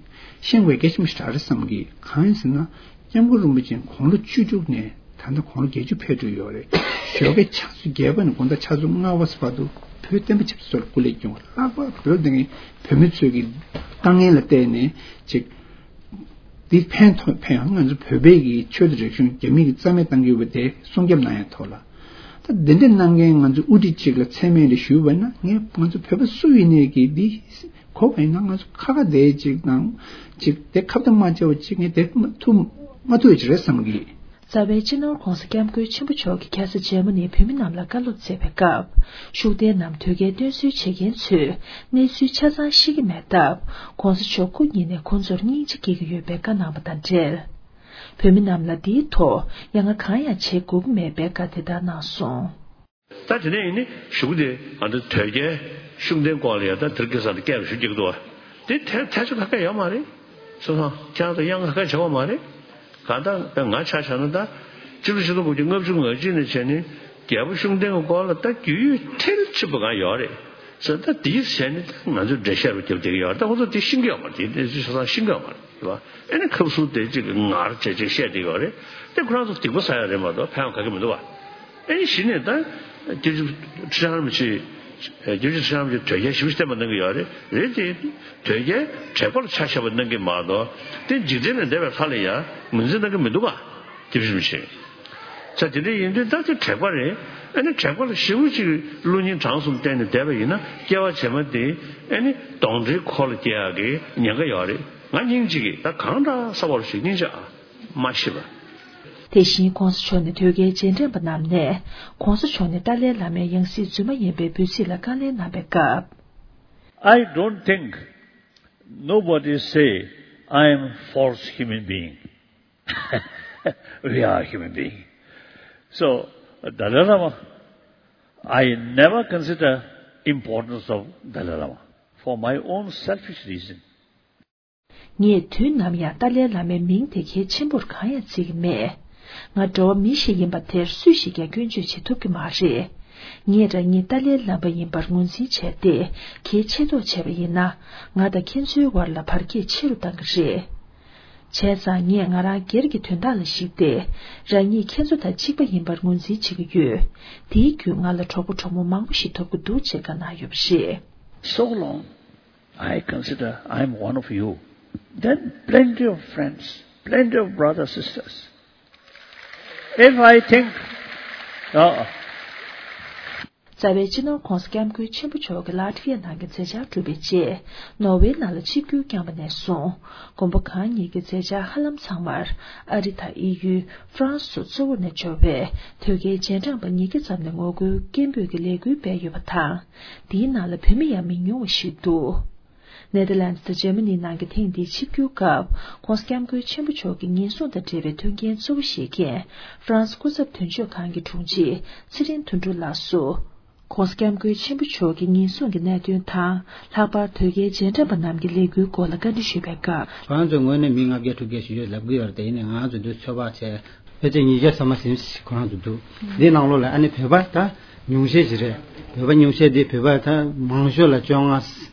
ཤེས་དགོས་གལ་ཆེན་པོ་ཞིག་རེད་བསམ་གི། གང་ཡིན་ཟེར་ན། སྐྱབས་མགོན་རིན་པོ་ཆེ་དགུང་ལོ་བཅུ་དྲུག་ནས་ད་ལྟ་དགུང་ལོ་བརྒྱད་ཅུ་ཕེབས་འགྲོ་ཡོད་རེད། ཞོགས་ཀའི་ཆུ་ཚོད་བརྒྱད་པ་ནས་དགོང་དག་ཆུ་ཚོད་ལྔ་པ་བར་དུ་བོད་བསྟན་པ་ཆབ་སྲིད་ཐོག་ལ་སྐུ་ལས་བསྐྱོན་པ། ལྷག་པར་བོད་དེ་ངའི་བོད་མི་ཚོས་ཀྱི་དཀའ་ངལ་ལ་བལྟས་ནས་ཅིག་འདི་ཕན་ཐོགས་ཕན་ཡོང་། ང་ཚོ་བོད་པའི་གི་ཆོས་དང་རིག་གཞུང་རྒྱ་མི་གིས་རྩ་མེད་བཏང་གི་ཡོད་པ་དེ་སྲུང་སྐྱོབ་གནང་ཡ་ཐོག་ལ། ད་འདི་འདྲ་གནང་མཁན་ང་ཚོ་དབུ་ཁྲིད་ཅིག་ལ་མཚན་སྨད་རེ་ཞུས་པ་ན། ངས་ང་ཚོ་བོད་པ་སུ་ཡིན་ནའི་གི་འདི་གོ་བ་ཡིན་ན་ང་ཚོ་ཁ་ཁ་བསྡད་ཅིག་དང་ཅིག་དེ་ཁ་བརྡ་མ་བྱས་པ་ཅིག་ངས་དེ་མ་ཐུབ་མ་ཐུབ་ཅིག་རེད་བསམ་གི། རྩ་བའི་སྤྱི་ནོར་༧གོང་ས་༧སྐྱབས་མགོན་ཆེན་པོ་མཆོག་གིས་ཁ་ས་འཇར་མ་ནིའི་བོད་མི་རྣམས་ལ་བཀའ་སློབ་སྩལ་བའི་སྐབས། ཤུགས་ལྡན་ནམ་དོལ་རྒྱལ་སྟོན་གསོལ་བྱེད་མཁན་ཚོས་གནས་ཚུལ་ཆ་ཚང་ཤེས་ཀྱི་མེད་སྟབས། ༧གོང་ས་མཆོག་སྐུ་ཉིད་ནས་ཁོང་ཚོར་སྙིང་རྗེ་སྐྱེ་གི་ཡོད་པའི་བཀའ་གནང་བ་དང་འབྲེལ། བོད་མི་རྣམས་ལ་འདིའི་ཐོག་ཡ་ང་གང་ཡང་བྱེད་དགོས་ཀྱི་མེད་པའི་བཀའ་དེ་ལྟར་གནང་སོང་། ད་དེ་ནས་ཡིན་ནི་གཞུག་གུ་དེ་ང་ཚོ་དོལ་རྒྱལ་ཤུགས་ལྡན་སྐོར་ལ་ཡ་ད་དེར་སྐལ་བཟང་དུ་སྐད་ཞུ་རྒྱུ་འདུག་བ། དེ་ཐལ་ཐལ་ཆ་ག་ག་ཡོད་མ་རེད། སོ་སོ་ཁྱེད་རང་ཚོ་གཡང་ག་ག་བྱེད་དགོས་མ་རེད། གང་ལྟར་ང་ཆ་བཞག་ན་ད་སྤྱི་ལོ་ཆིག་སྟོང་དགུ་བརྒྱ་ལྔ་བཅུ་ང་གཅིག་ནས་བྱས་ནས་རྒྱལ་པོ་ཤུགས་ལྡན་གྱི་སྐོར་ལ་ད་རྒྱུས་ཡོད་མཐིལ་ཕྱིན་པ་གང་ཡོད་རེད། ཟེར། ད་དེའི་ཟེར་ནས་ང་ཚོས་འགྲེལ་བཤད་རུ་རྒྱབ་བསྡད་ཀྱི་ཡོད་རེད། ད་ཁོ་ཚོ་དེ་ཤེས་ཀྱི་ཡོད་མ་རེད། དེ་དེ་ཆ་ཚང་ཤེས་ཀྱི་ཡོད་མ་རེད། རེད་བ། ཨེ་ནི་ཁབ་སུ་དེ་གཅིག་གི་ངར་བྱས་ཅིག་བཤད་བསྡད་ཡོད་རེད། དེ་ཁོ་རང་ཚོ་སྡིག་པ་བསགས་ཡ་རེད་མ་གཏོགས་ཕན་ཡོན་ག་གེ་མི་འདུག་བ། ཨེ་ནི་གཞི་ནས་ད་རྒྱལ་སྤྱི་ཁྲི་བྱང་རིན་པོ་ཆེ། རྒྱལ་སྤྱི་ཁྲི་བྱང་རིན་པོ་ཆེ་དོལ་རྒྱལ་ཞེ་པོ་བསྟན་པ་གནང་གི་ཡོད་རེད། རེད་དེ། དོལ་རྒྱལ་དྲེགས་པ་ལ་ཆ་བཞག་པ་གནང་གི་མ་གཏོགས་དེ་འཇིག་རྟེན་ལས་འདས་པའི་ལྷ་ལ་ཡང་ངོས་འཛིན་གནང་གི་མི་འདུག་བ། རྒྱལ་སྤྱི་རིན་པོ་ཆེ། ས་དེ་འདྲ་ཡིན་དུས་ད་དེ་དྲེགས་པ་རེད། ཨ་ནི་དྲེགས་པ་ལ་ཞེ་པོ་ཅིག་བློ་སྙིང་བྲང་གསུམ་བསྟན་ནས་བསྡད་པ་ཡིན་ན་སྐྱེ་བ་རྗེས་མ་དེ་ཨ་ནི་གདོན་འདྲེའི་འཁོར་ལ་སྐྱེ་ཡག་གི་ཉེན་ཁ་ཡོད་རེད། ང་སྙིང་རྗེ་གི་ད་གང་འདྲ་ས་བར་ཞིག་སྙིང་རྗེ་ཨ་མ་ཤི་བ། དེ་བཞིན་༸གོང་ས་མཆོག་ནས་དོལ་རྒྱལ་རྗེས་དྲན་པ་རྣམས་ནས་༸གོང་ས་མཆོག་ནི་ཏཱ་ལའི་བླ་མའི་ཡང་སྲིད་རྫུན་མ་ཡིན་པའི་འབོད་ཚིག་ལ་བཀའ་ལན་གནང་བའི་སྐབས། I don't think nobody say I am false human being. We are human being. So, Dalai Lama, I never consider importance of Dalai Lama for my own selfish reason. ངས་དུས་ནམ་ཡང་ཏཱ་ལའི་བླ་མའི་མིང་དེ་གལ་ཆེན་པོར་གང་ཡང་བརྩི་གི་མེད། ང་འགྲོ་བ་མི་ཞིག་ཡིན་པ་དེར་སུས་ཞིག་ཀྱང་སྐྱོན་བརྗོད་བྱེད་ཐུབ་ཀྱི་མ་རེད། ངས་རང་ཉིད་ཏཱ་ལའི་བླ་མ་ཡིན་པར་ངོས་འཛིན་བྱས་ཏེ་གལ་ཆེ་མདོག་བྱས་པ་ཡིན་ན། ང་དང་ཁྱེད་ཚོའི་བར་ལ་བར་ཁྱད་ཆེ་རུ་བཏང་གི་རེད། བྱས་ཙང་ངས་ང་རང་སྒེར་གྱི་དོན་དག་ལ་གཞིགས་ཏེ། རང་ཉིད་ཁྱེད་ཚོ་དང་གཅིག་པ་ཡིན་པར་ངོས་འཛིན་བྱེད་ཀྱི་ཡོད། དེའི་བརྒྱུད་ང་ལ་གྲོགས་པོ་གྲོགས་མོ་མང་པོ་ཞིག་ཐོབ་ཀྱི་འདུག་ཅེས་བཀའ་གནང་ཡོད་པ་རེད། So long I consider I am one of you, then plenty of friends, plenty of brothers, sisters. If I think, uh, རྩ་བའི་སྤྱི་ནོར་༸གོང་ས་༸སྐྱབས་མགོན་ཆེན་པོ་མཆོག་གིས་ལ་ཏི་ཝི་ཡ་ནང་གི་མཛད་འཆར་གྲུབ་པའི་རྗེས། ནོར་ཝེ་ནང་ལ་ཆིབས་བསྒྱུར་བསྐྱངས་པ་ནས་བཟུང་། དགོན་པ་གང་ཉིད་ཀྱི་མཛད་འཆར་ཧ་ལམ་ཚང་མར་ཨ་རི་དང་དབྱིན་ཡུལ། ཧྥ་རན་སི་སོགས་གཙོ་བོར་ནས་འབྱོར་བའི་དོལ་རྒྱལ་རྗེས་འབྲང་པ་ཉིས་བརྒྱ་ཙམ་ནས་ངོ་རྒོལ་སྐད་འབོད་ཀྱི་ལས་འགུལ་སྤེལ་ཡོད་པ་དང་། འདིའི་ནང་ལ་བོད་མི་ཡང་མི་ཉུང་བ་ཞིག་འདུག་ནེ་དར་ལན་ཌི་དང་འཇར་མ་ནི་ནང་གི་ཐེངས་འདིའི་ཆིབས་བསྒྱུར་སྐབས། ༸གོང་ས་༸སྐྱབས་མགོན་ཆེན་པོ་མཆོག་གི་ཉེན་སྲུང་དང་འབྲེལ་བའི་མཐུན་རྐྱེན་གཙོ་བོ་བཞེས་མཁན་ཧྥ་རན་སི་སྐུ་ཚབ་དོན་གཅོད་ཁང་གི་དྲུང་ཆེ་ཚེ་རིང་དོན་གྲུབ་ལགས་སུ། ༸གོང་ས་༸སྐྱབས་མགོན་ཆེན་པོ་མཆོག་གི་ཉེན་སྲུང་གི་གནད་དོན་དང་། ལྷག་པར་དོལ་རྒྱལ་རྗེས་འབྲང་པ་རྣམས་ཀྱི་ལས་འགུལ་སྐོར་ལ་བཀའ་འདྲི་ཞུས་པའི་སྐབས། ཁོ་རང་ཚོའི་ངོས་ནས་མི་ལྔ་བརྒྱ་དྲུག་བརྒྱ་ཞིག་ཡོད་ལབ་ཀྱི་ཡོད་རེད་དེ། ཡིན་ནའི་ང་ཚོ་འདི་ཚོད་དཔག་བྱས་ཕལ་ཆེར་ཉིས་བརྒྱ་ཙམ་མ་ཟིན་ཞིག་ཁོ་རང་ཚོ་འདུག་འདིའི་ནང་ལོགས་ལ་ཨ་ནི་བོད་པ་ད་ཉུང་ཤས་ཤིག་རེད། བོད་པ་ཉུང་ཤས་འདི་བོད་པ་ད་མང་ཤོས་ལ་བཅོ་ལྔ།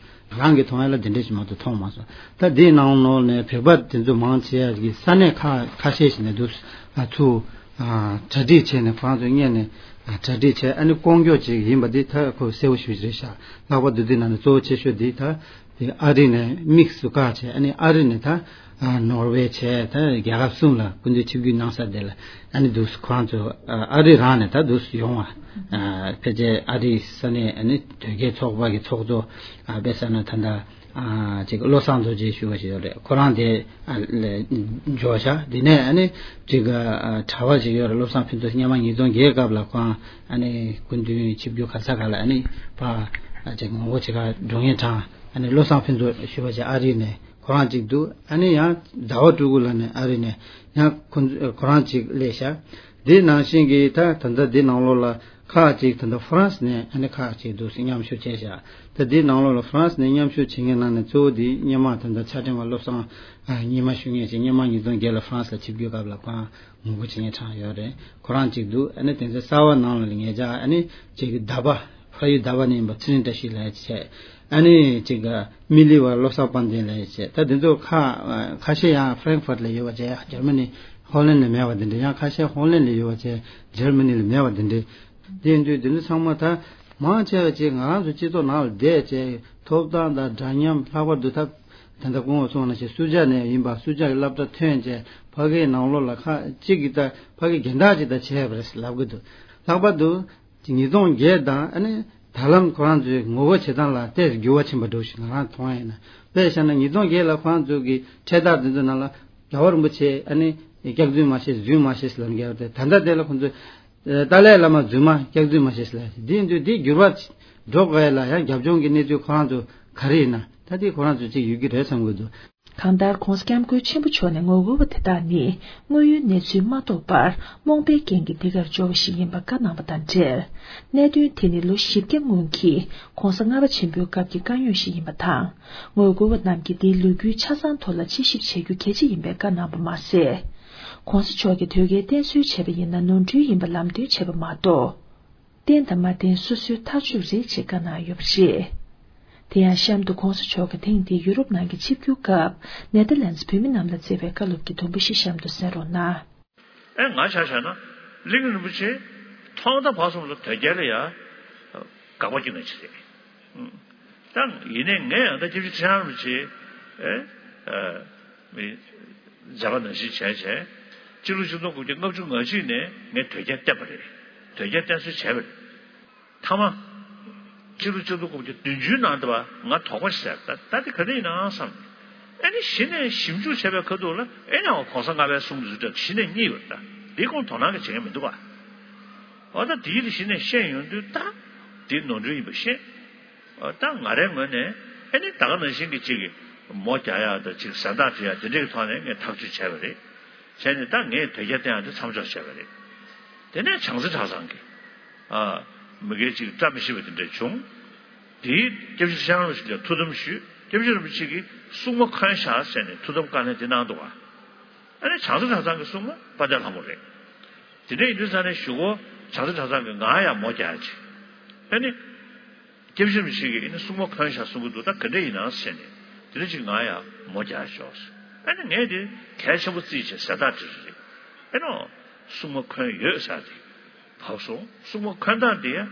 རང་གི་མཐོང་ཡ་ལ་དེ་འདྲ་ཞིག་མ་གཏོགས་མཐོང་མ་སོང་། ད་འདིའི་ནང་ལོགས་ནས་བོད་པ་དེ་ཚོ་མང་ཆེ་བ་གི་ས་གནས་ཁག་ཁ་ཤས་ཤིག་ནས་འདུག་ཨ་ཚུར་ཨ་གྲ་སྒྲིག་བྱས་ནས་ཁོ་རང་ཚོ་སྔོན་ནས་ཨ་གྲ་སྒྲིག་བྱས། ཨ་ནི་ལྐོག་གྱུར་ཅིག་ཡིན་པ་འདི་ད་ཁོ་གསལ་པོ་ཞེ་པོ་ཅིག་རེད་ཤག་ལྷག་པར་དུ་འདི་ནང་ནས་གཙོ་བོ་ཆེ་ཤོས་འདི་ད་དེ་ཨ་རི་ནས་དམིགས་སུ་བཀར་བྱས། ཨ་ནི་ཨ་རི་ནས་ད་ཨ་ནོར་ཝེ་བྱས། ད་རྒྱལ་ཁབ་གསུམ་ལ་སྐུ་མདུན་ཆིབས་བསྒྱུར་གནང་ས་དེ་ལ་ཨ་ནི་འདུག་ཁོ་རང་ཚོ་ཨ་རི་རང་ནས་ད་འདུག་ཡོང་བ། ཨ་ཕལ་ཆེར་ཨ་རིའི་ས་གནས་ཨ་ནི་དོལ་རྒྱལ་ཚོགས་པ་གི་ཚོགས་གཙོ་ཨ་དཔེ་བཞག་ན་ད་ལྟ། ཨ་ཅིག་བློ་བཟང་རྡོ་རྗེ་ཞུ་བ་ཞིག་ཡོད་རེད། ཁོ་རང་དེ་ཨ་ལ་འབྱོར་ཤག་དེ་ནས་ཨ་ནི་ཅིག་ཨ་གྲྭ་པ་ཞིག་ཡོད་རེད། བློ་བཟང་ཕུན་ཚོགས། སྔོན་མ་ཉིས་སྟོང་བརྒྱད་སྐབས་ལ་ཁོ་རང་ཨ་ནི་སྐུ་མདུན་ཆིབས་བསྒྱུར་ག་ས་ག་ལ་ཨ་ནི་ཕར་ཨ་ཅིག་ངོ་རྒོལ་བྱེད་གར་འགྲོ་མཁན་གྲས། ཨ་ནི་བློ་བཟང་ཕུན་ཚོགས་ཞུ་བ་ཞིག་ཨ་རི་ནས་ཁོ་རང་ཅིག་འདུག་ཨ་ནི་ཡང་ཟླ་བ་སྤྲུལ་སྐུ་ལགས་ནས་ཨ་རི་ནས་ཡང་ཁོ་ཁོ་རང་ཅིག་སླེབས་ཤག་དེ་ནང་བཞིན་གྱི་ད་ད་ལྟ་འདི་ནང་ལོགས་ལ་ཁག་ཅིག་ད་ལྟ་ཧྥ་རན་སི་ནས་ཨ་ནི་ཁག་ཅིག་འདུག་སེ་མཉམ་ཞུགས་བྱས་ཤག་ད་འདི་ནང་ལོགས་ལ་ཧྥ་རན་སི་ནས་མཉམ་ཞུགས་བྱེད་མཁན་ནང་ནས་གཙོ་བོ་འདི་སྔོན་མ་ད་ལྟ་ཚ་ཕྲེང་བ་བློ་བཟང་ཨ་སྔོན་མ་ཞུ་མཁན་ཅིག་སྔོན་མ་ཉིས་སྟོང་བརྒྱད་ལ་ཧྥ་རན་སི་ལ་ཆིབས་བསྒྱུར་སྐབས་ལ་ཁོ་རང་ངོ་རྒོལ་བྱེད་མཁན་གྲས་ཡོད་རེད། ཁོ་རང་ཅིག་འདུག་ཨ་ནི་དེ་ཚོ་གསར་པ་ནང་ལ་ངེད་ཅག་ཨ་ནི་ཅིག་ད་པ་ཕ་ཡུལ་ད་པ་ནས་ཡིན་པ་ཚེ་རིང་བཀྲ་ཤིས་ལགས་བྱས། ཨ་ནི་ཅིག་མི་ལི་བ་བློ་བཟང་དཔལ་ལྡན་ལགས་བྱས། ད་དེ་ཚོ་ཁ་ཁ་ཤས་ཡང་ཧྥ་རེང་ཧྥར་ལ་ཡོད་པ་བྱས། ཡང་འཇར་མ་ནི་ཧོ་ལན་ལ་མེད་པ་དེ་འདྲ། ཡང་ཁ་ཤས་ཧོ་ལན་ལ་ཡོད་པ་བྱས། འཇར་མ་ནི་ལ་མེད་པ་དེ་འདྲ། དེ་ཡིན་དུས་དེ་ཚོ་ཚང་མ་ད་མང་ཆེ་བ་ཅིག་ང་རང་ཚོ་སྤྱི་ཚོགས་ནང་ལ་བསྡད་བྱས། ཐོབ་ཐང་དང་འདྲ་མཉམ། ལྷག་པར་དུ་ད་ད་ལྟ་སྐུ་ངོ་གསུངས་པ་ནང་བཞིན་སུ་ཇཱ་ནས་ཡིན་པ་སུ་ཇཱ་གི་སློབ་གྲྭ་ཐོན་བྱས། ཕ་གིའི་ནང་ལོགས་ལ་ཁ་ཅིག་གིས་ད་ཕ་གི་རྒན་བདག་ཅིག་ད་བྱས་པ་རེད་ལབ་གི་འདུག་ལྷག་པར་དུ། ཉིས་སྟོང་བརྒྱད་དང་ཨ་ནི་ད་ལམ་ཁོ་རང་ཚོའི་ངོ་རྒོལ་བྱེད་སྟངས་ལ་ཏོག་ཙམ་འགྱུར་བ་ཕྱིན་པ་འདྲ་ཞིག་ང་རང་མཐོང་ཡ་ཡིན་ན། དཔེ་བཞག་ན་ཉིས་སྟོང་བརྒྱད་ལ་ཁོ་རང་ཚོ་གི་འཕྲེད་དར་དེ་ཚོ་ནང་ལ་རྒྱལ་བ་རིན་པོ་ཆེ་ཨ་ནི་སྐྱག་རྫུན་མ་བཤད་རྫུན་མ་བཤད་ཟེར་ལབ་མཁན་ཡོད་རེད། ད་ལྟ་དེ་ལ་ཁོ་ཚོས་ཏཱ་ལའི་བླ་མ་རྫུན་མ་སྐྱག་རྫུན་མ་བཤད་ཟེར་ལབ། དེ་ཡིན་དུས་དེ་འགྱུར་བ་འགྲོ་དགོས་ཡ་ལ་ཡང་རྒྱབ་ལྗོངས་ཀྱི་གནས་ཚུལ་ཁོ་རང་ཚོ་ག་རེ་ཡིན་ན། ད་དེ་ཁོ་རང་ཚོ་ཅིག་ཡོད་ཀྱི་རེད་བསམ་གྱི་འདུག་གང་ལྟར་༸གོང་ས་༸སྐྱབས་མགོན་ཆེན་པོ་མཆོག་ནས་ངོ་རྒོལ་བ་དེ་དག་ནི་དངོས་ཡོད་གནས་ཚུལ་མ་རྟོགས་པར་རྨོངས་པའི་རྐྱེན་གྱིས་འདི་གར་འབྱོར་བ་ཞིག་ཡིན་པ་བཀའ་གནང་བ་དང་འབྲེལ། གནད་དོན་དེ་ནི་ལོ་བཞི་བརྒྱ་སྔོན་གྱི་༸གོང་ས་ལྔ་པ་ཆེན་པོའི་སྐབས་ཀྱི་དཀའ་རྙོག་ཞིག་ཡིན་པ་དང་། ངོ་རྒོལ་བ་རྣམས་ཀྱིས་འདིའི་ལོ་རྒྱུས་ཆ་ཚང་ཐོག་ལ་དཔྱད་ཞིབ་བྱེད་རྒྱུ་གལ་ཆེ་ཡིན་པའི་བཀའ་གནང་བ་མ་ཟད། ༸གོང་ས་མཆོག་གིས་དོལ་རྒྱལ་བསྟེན་གསོལ་བྱས་པ་ཡིན་ན་ནོར་འཁྲུལ་ཡིན་པ་ལམ་སྟོན་བྱས་པ་མ་གཏོགས། བསྟེན་དང་མ་བསྟེན་སོ་སོའི་ཐག་གཅོད་རེད་ཅེས་བཀའ་གནང་ཡོད་པ་རེད། དེ་ཡང་གཤམ་དུ་༸གོང་ས་མཆོག་གིས་ཐེངས་འདིའི་ཡུ་རོབ་ནང་གི་ཆིབས་བསྒྱུར་སྐབས་ནེ་དར་ལན་སི་བོད་མི་རྣམས་ལ་བསྩལ་བའི་བཀའ་སློབ་ཀྱི་དུམ་བུ་ཞིག་གཤམ་དུ་གསན་རོགས་གནང་། ཨེ་ང་ཆ་བཞག་ན་གླིང་རིན་པོ་ཆེ་ཐོག་མཐའ་བར་གསུམ་ལ་དོལ་རྒྱལ་ལ་ཡ་དགག་པ་སྐྱོན་ནས་ཅི་རེད། ད་ཡིན་ནའི་ངས་ཡང་ད་སྐྱབས་རྗེ་ཁྲི་བྱང་རིན་པོ་ཆེ་ཨེ་མི་མཛད་པ་ནང་བཞིན་བྱས་བྱས་སྤྱི་ལོ་ཆིག་སྟོང་དགུ་བརྒྱ་ལྔ་བཅུ་ང་གཅིག་ནས་ངས་དོལ་རྒྱལ་བསྟེན་པ་རེད། དོལ་རྒྱལ་བསྟེན་གསོལ་བྱས་པ་རེད། མཐའ་མ། སྤྱི་ལོ་ཆིག་སྟོང་དགུ་བརྒྱ་བདུན་ཅུའི་ནང་དུ་བ་ང་དོགས་པ་ཞིག་ཟེར་ད་ད་དེ་ག་འདྲ་ཡིན་ནའང་བསམ། ཨེ་ནི་གཞི་ནས་ཞིབ་འཇུག་བྱས་པའི་ཁ་ཐུག་ལ་ཨེ་ནི་འོ་གོང་ས་ལྔ་པའི་གསུང་གི་རུ་འདྲ་གཞི་ནས་རྙེད་ཡོད་ད། འདི་ཁོང་དོ་སྣང་གི་བྱེད་མཁན་མི་འདུག་བ། འོ་ད་དེའི་རིགས་གཞི་ནས་ཤེས་ཡོང་དུས་ད་དེ་ནོར་འཁྲུལ་ཡིན་པ་ཤེས། འོ་ད་ང་རའི་ངོས་ནས་ཨེ་ནི་ད་ག་ནང་བཞིན་གྱི་གཅིག་གི་མོ་རྒྱག་ཡག་དང་གཅིག་ཟན་བརྟག་བྱེད་ཡག་དེ་འདྲའི་གི་ཐོག་ནས་ངས་ཐག་གཅོད་བྱས་པ་རེད། བྱས་ནས་ད་ངས་དོལ་རྒྱལ་བསྟེན་ཡག་དེ་མཚམས་འཇོག་བྱས་པ་རེད། དེ་ནས་བྱང་རྩེ་གྲྭ་ཚང་གི་ཨ། མི་སྒེར་གཅིག་བཀྲ་མི་ཤིས་པ་དེ་འདྲ་བྱུང་། དེའི་སྐྱབས་རྗེ་ཁྲི་བྱང་རིན་པོ་ཆེ་ལ་ཐུགས་དམ་ཞུས། སྐྱབས་རྗེ་རིན་པོ་ཆེ་གིས་སྲུང་མ་འཁོན་བཞག་ཟེར་ནས་ཐུགས་དམ་བཀའ་ལན་དེ་གནང་འདུག་བ། ཨ་ནི་བྱང་རྩེ་གྲྭ་ཚང་གི་སྲུང་མ་དཔལ་ལྡན་ལྷ་མོ་རེད། དེ་འདྲ་ཡིན་དུས་ས་ནས་གཞུག་གུ་བྱང་རྩེ་གྲྭ་ཚང་གིས་ང་ཡང་མོ་རྒྱག་ཅིག་ཨ་ནི། སྐྱབས་རྗེ་རིན་པོ་ཆེ་གིས་ཨ་ནི་སྲུང་མ་འཁོན་བཞག་གསུང་གི་འདུག་ད་ག་འདྲ་ཡིན་ནམ་ཟེར་ནས་དེ་འདྲ་ཅིག་ང་ཡང་མོ་རྒྱག་ཤོག་ཨ་ནི་ངས་དེ་གལ་ཆེན་པོ་བརྩིས་བྱས་ཟས་རྟགས་དེ་རེད། ཨེ་ནོ། སྲུང་མ་འཁོན་ཡོད་ཟེར་དེ་བབས་སོང་། སྲུང་མ་འཁོན་སྟངས་དེ་ཨ།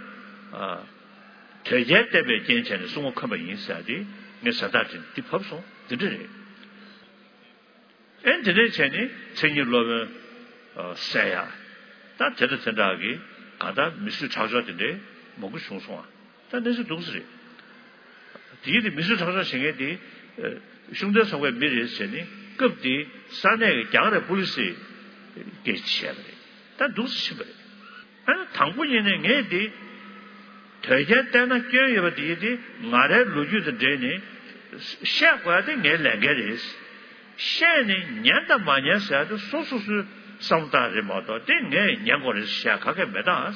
དོལ་རྒྱལ་བསྟེན་པའི་རྐྱེན་བྱས་ནས་སྲུང་མ་འཁོན་པ་ཡིན་ཟེར་དེ་ངས་ཟས་རྟགས་དེ་འདི་བབས་སོང་། དེ་འདྲ་རེད། ཨེ་དེ་ནས་བྱས་ནས་མཚན་ཉིད་སློབ་དཔོན་གསན་ཡ། ད་དེ་དང་དེ་འདྲ་གི་གང་ལྟར་མི་གསོད་ཁྲག་སྦྱོར་དེ་འདྲའི་མང་པོ་བྱུང་སོང་ཨ། ད་གནས་ཚུལ་འདུག་སེ་རེད། དེའི་དེ་མི་གསོད་ཁྲག་སྦྱོར་བྱེད་མཁན་དེ་ཤུགས་ལྡན་ཚོགས་པའི་མི་རེད་ཟེར་ནས་སྐབས་དེའི་ས་གནས་ཀྱི་རྒྱ་གར་པུ་ལི་སི་སྐད་ཆ་བཤད་པ་རེད། ད་འདུག་སེ་ཕྱིན་པ་རེད། ཨ་ནི་དང་པོ་ཉིད་ནས་ངས་འདི་དོལ་རྒྱལ་བསྟེན་ན་སྐྱོན་ཡོད་པ་དེ་དེ་ང་རའི་ལོ་རྒྱུས་དང་འབྲེལ་ནས་བཤད་དགོས་ཡ་དེ་ངའི་ལས་འགན་རེད། བཤད་ནས་ཉན་དང་མ་ཉན་ཟེར་ཡ་དེ་སོ་སོ་སོའི་བསམ་བློ་བཏང་རེད་མ་གཏོགས་དེ་ངས་ཉན་དགོས་རེད་བཤད་ག་གས་མེད་ད། ཨ།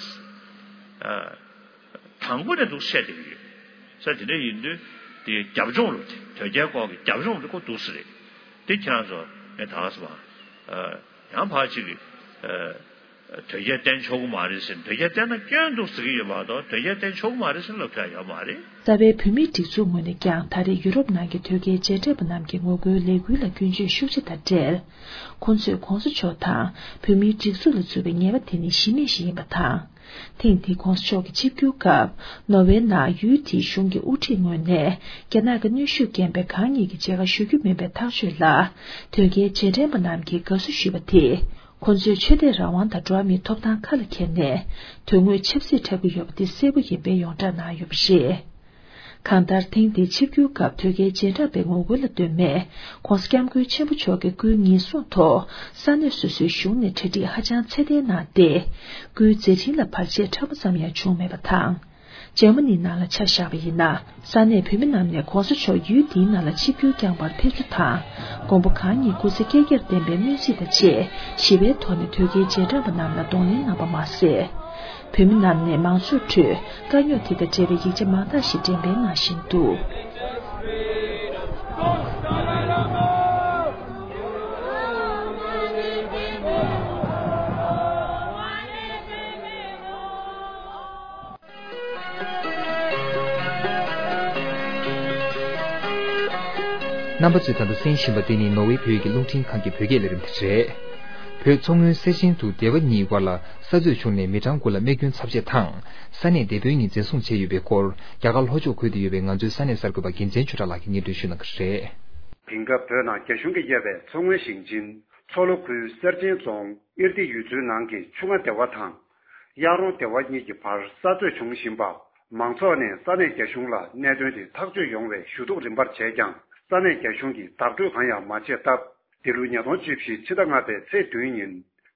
དང་པོ་ནས་འདུག་བཤད་བསྡད་ཀྱི་ཡོད། ས་དེ་འདྲ་ཡིན་དུས་དེ་རྒྱབ་ལྗོངས་ལ་དོལ་རྒྱལ་སྐོར་གྱི་རྒྱབ་ལྗོངས་ལ་ཁོ་འདུག་སེ་རེད། དེ་ཁྱེད་རང་ཚོ་ངས་ད་ག་ས་མ། ཨ། ཡང་ཕར་ཅིག་གི། ཨ། དོལ་རྒྱལ་བསྟེན་ཆོག་གི་མ་རེད་ཟེར། དོལ་རྒྱལ་བསྟེན་ན་སྐྱོན་འདུག་ཟེར་གྱི་ཡོད་མ་གཏོགས་དོལ་རྒྱལ་བསྟེན་ཆོག་གི་མ་རེད་ཟེར་ལབ་ཐུབ་ཡ་ཡོད་མ་རེད། རྩ་བའི་བོད་མིའི་སྒྲིག་འཛུགས་ངོས་ནས་ཀྱང་ད་རེས་ཡུ་རོབ་ནང་གི་དོལ་རྒྱལ་རྗེས་དྲན་པ་རྣམས་ཀྱི་ངོ་རྒོལ་ལས་འགུལ་ལ་སྐྱོན་བརྗོད་ཤུགས་ཆེ་དང་འབྲེལ། ཁོང་ཚོས་གོང་ས་མཆོག་དང་བོད་མིའི་སྒྲིག་འཛུགས་ལ་བཙུགས་པའི་ཉེས་པ་དེ་ནི་གཞི་མེད་ཞིག་ཡིན་པ་དང་། ཐེངས་འདིའི་གོང་ས་མཆོག་གི་ཆིབས་བསྒྱུར་སྐབས་ནོར་ཝེ་ནང་ཡུལ་དེའི་གཞུང་གི་དབུ་ཁྲིད་ངོས་ནས་རྒྱ་ནག་གི་གནོན་ཤུགས་རྐྱེན་པས་གང་ཉིད་ཀྱི་མཇལ་ཁ་ཞུ་རྒྱུ་མིན་པའི་ཐག་གཅོད་ལ་དོལ་རྒྱལ་རྗེས་དྲན་པ་རྣམས་ཀྱིས་དགའ་བསུ་ཞུས་པ་དེས། ཁོ་ཚོས་ཆོས་དད་རང་དབང་དང་འགྲོ་བ་མིའི་ཐོབ་ཐང་ཁ་ལ་འཁྱེར་ནས་དོན་དངོས་ཆབ་སྲིད་འཁྲབ་ཀྱི་ཡོད་པ་དེ་གསལ་པོ་ཡིན་པའི་ཡོངས་གྲགས་གནང་ཡོད་པ་རེད། གང་ལྟར་ཐེངས་འདིའི་ཆིབས་བསྒྱུར་སྐབས་དོལ་རྒྱལ་རྗེས་འབྲང་པའི་ངོ་རྒོལ་ལ་ལྟོས་མེད་༸གོང་ས་༸སྐྱབས་མགོན་ཆེན་པོ་མཆོག་གི་སྐུའི་ཉེན་སྲུང་ཐོག་ས་གནས་སོ་སོའི་གཞུང་ནས་གྲ་སྒྲིག་ཧ་ཅང་ཚད་ལྡན་གནང་སྟེ། སྐུའི་མཛད་འཕྲིན་ལ་བར་ཆད་ཕྲ་མོ་ཙམ་ཡང་བྱུང་མེད་པ་དང་། འཇར་མ་ནིའི་ནང་ལ་ཆ་བཞག་པ་ཡིན་ན། ས་གནས་བོད་མི་རྣམས་ནས་༸གོང་ས་མཆོག་ཡུལ་འདིའི་ནང་ལ་ཆིབས་བསྒྱུར་བསྐྱངས་པར་ཕེབས་རྒྱུ་དང་། མགོན་པོ་གང་ཉིད་སྐུ་ཚེ་བསྐལ་བརྒྱར་བརྟན་པའི་སྨོན་ཚིག་དང་བཅས་ཞི་བའི་ཐོག་ནས་དོལ་རྒྱལ་རྗེས་འབྲང་པ་རྣམས་ལ་གདོང་ལེན་གནང་པ་མ་ཟད། བོད་མི་རྣམས་ནས་མང་ཚོགས་ཁྲོད་དཀའ་རྙོག་དེ་དང་འབྲེལ་བའི་ཡིག་ཆ་མང་དག་ཞིག་འགྲེམས་སྤེལ་གནང་བཞིན་འདུག་རྣམ་པ་ཚོས་ད་ལྟ་གསན་བཞིན་པ་འདི་ནི་ནོར་ཝེ་བོད་ཀྱི་རླུང་འཕྲིན་ཁང་གི་བོད་སྐད་ལས་རིམ་དེ་རེད། བོད་མཚོ་སྔོན་གསེར་ཆེན་དུ་སྡེ་བ་གཉིས་དབར་ལ་ས་རྩོད་བྱུང་ནས་མི་གྲངས་དགུ་ལ་རྨས་སྐྱོན་ཚབས་ཆེ་དང་། ས་གནས་དེ་དཔོན་གཉིས་འཛིན་བཟུང་བྱས་ཡོད་པའི་སྐོར། རྒྱ་གར་ལྷོ་ཕྱོགས་ཁུལ་དུ་ཡོད་པའི་ང་ཚོའི་ས་གནས་གསར་འགོད་པ་རྒྱལ་མཚན་ཆོས་གྲགས་ལགས་ཀྱིས་སྙན་སྒྲོན་ཞུ་གནང་གི་རེད། དེང་སྐབས་བོད་ནང་རྒྱ་གཞུང་གིས་གཡར་བའི་མཚོ་སྔོན་ཞིང་ཆེན་མཚོ་ལྷོ་ཁུལ་གསེར་ཆེན་རྫོང་ཨིར་ཏི་ཡུལ་ཚོའི་ནང་གི་ཆུ་རྔ་སྡེ་བ་དང་། གཡག་རོང་སྡེ་བ་གཉིས་ཀྱི་བར་ས་རྩོད་བྱུང་བཞིན་པ། མང་ཚོགས་ནས་ས་གནས་རྒྱ་གཞུང་ལ་གནད་དོན་དེ་ཐག་གཅོད་ཡོང་བའི་ཞུ་གཏུག་རིམ་པར་བྱས་ཀྱང་། ས་གནས་རྒྱ་གཞུང་གིས་བདག་སྤྲོད་གང་ཡང་མ་བྱས་སྟབས། འདི་ལོའི་ཉིས་སྟོང་བཅུ་བཞི་ཕྱི་ཟླ་ལྔ་པའི་ཚེས་བདུན་ཉིན།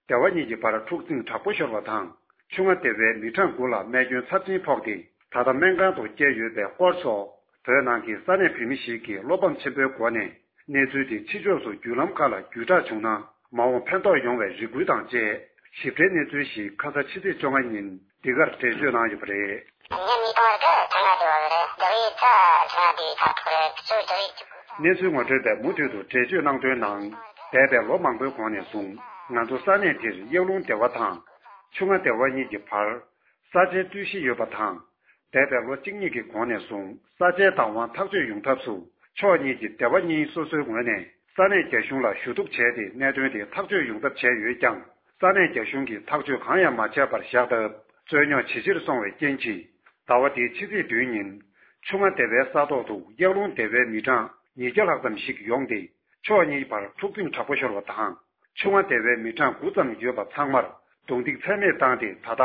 སྡེ་བ་གཉིས་ཀྱི་བར་འཁྲུག་འཛིང་དྲག་པོ་ཤོར་བ་དང་། ཆུ་རྔ་སྡེ་བའི་མི་གྲངས་དགུ་ལ་རྨས་སྐྱོན་ཚབས་ཆེན་ཕོག་སྟེ། ད་ལྟ་སྨན་ཁང་དུ་བསྐྱལ་ཡོད་པའི་སྐོར་སོགས། བོད་ནང་གི་ས་གནས་བོད་མི་ཞིག་གིས་བློ་ཕམ་ཆེན་པོའི་སྒོ་ནས། གནས་ཚུལ་དེ་ཕྱི་ཕྱོགས་སུ་བརྒྱུད་ལམ་ཁག་ལ་བརྒྱུད་བསྒྲགས་བྱུང་ན། མ་འོངས་ཕན་ཐོགས་ཡོང་བའི་རེ་སྐུལ་དང་བཅས། ཞིབ་ཕྲའི་གནས་ཚུལ་ཞིག་ཁ་ས་ཕྱི་ཚེས་བཅོ་ལྔ་ཉིན་འདི་གར་འགྲེལ་བརྗོད་གནང་ཡོད་པ་རེད། ཉིན་གཉིས་སྟོང་རེ་ག་ཐ་ན་དེ་བ་རེད། དེ་རིང་ད་ཐ་ན་དེ་ཁ་ཐོག་རེད། གཙོ་དེ་རིང་གཅིག་གནས་ཚུལ་ངོ་སྤྲོད་པས་མུ་མཐུད་དུ་འགྲེལ་བརྗོད་གནང་དོན་ནང་། འདས་པའི་ལོ་མང་པོའི་གོང་ནས་བཟུང་ང་ཚོ་ས་གནས་འདིར་གཡག་ལུང་སྡེ་བ་དང་། ཆུ་རྔ་སྡེ་བ་གཉིས་ཀྱི་བར་ས་ཆའི་རྩོད་གཞི་ཡོད་པ་དང་། འདས་པའི་ལོ་གཅིག་གཉིས་ཀྱི་གོང་ནས་བཟུང་ས་ཆའི་བདག་དབང་ཐག་གཅོད་ཡོང་ཐབས་སུ་ཕྱོགས་གཉིས་ཀྱི་སྡེ་བ་གཉིས་སོ་སོའི་ངོས་ནས་ས་གནས་རྒྱ་གཞུང་ལ་ཞུ་གཏུག་བྱས་ཏེ་གནད་དོན་དེ་ཐག་གཅོད་ཡོང་ཐབས་བྱས་ཡོད་ཀྱང་ས་གནས་རྒྱ་གཞུང་གིས་ཐག་གཅོད་གང་ཡང་མ་བྱས་པར་བཞག་སྟབས་རྩོད་རྙོག་ཇེ་ཆེར་སོང་བའི་རྐྱེན་གྱིས་ཟླ་བ་འདིའི་ཕྱི་ཚེས་བདུན་ཉིན་ཆུ་རྔ་སྡེ་བའི་ས་ཐོག་ཏུ་གཡག་ལུང་སྡེ་བའི་མི་གྲངས་ཉིས་བརྒྱ་ལྷག་ཙམ་ཞིག་ཡོང་སྟེ། ཕྱོགས་གཉིས་བར་འཁྲུག་འཛིང་དྲག་པོ་ཤོར་བ་དང་། ཆུ་རྔ་སྡེ་བའི་མི་གྲངས་དགུ་ཙམ་ཡོད་པ་ཚང་མར་རྡུང་རྡེག་ཚད་མེད་བཏང་སྟེ། ད་ལྟ་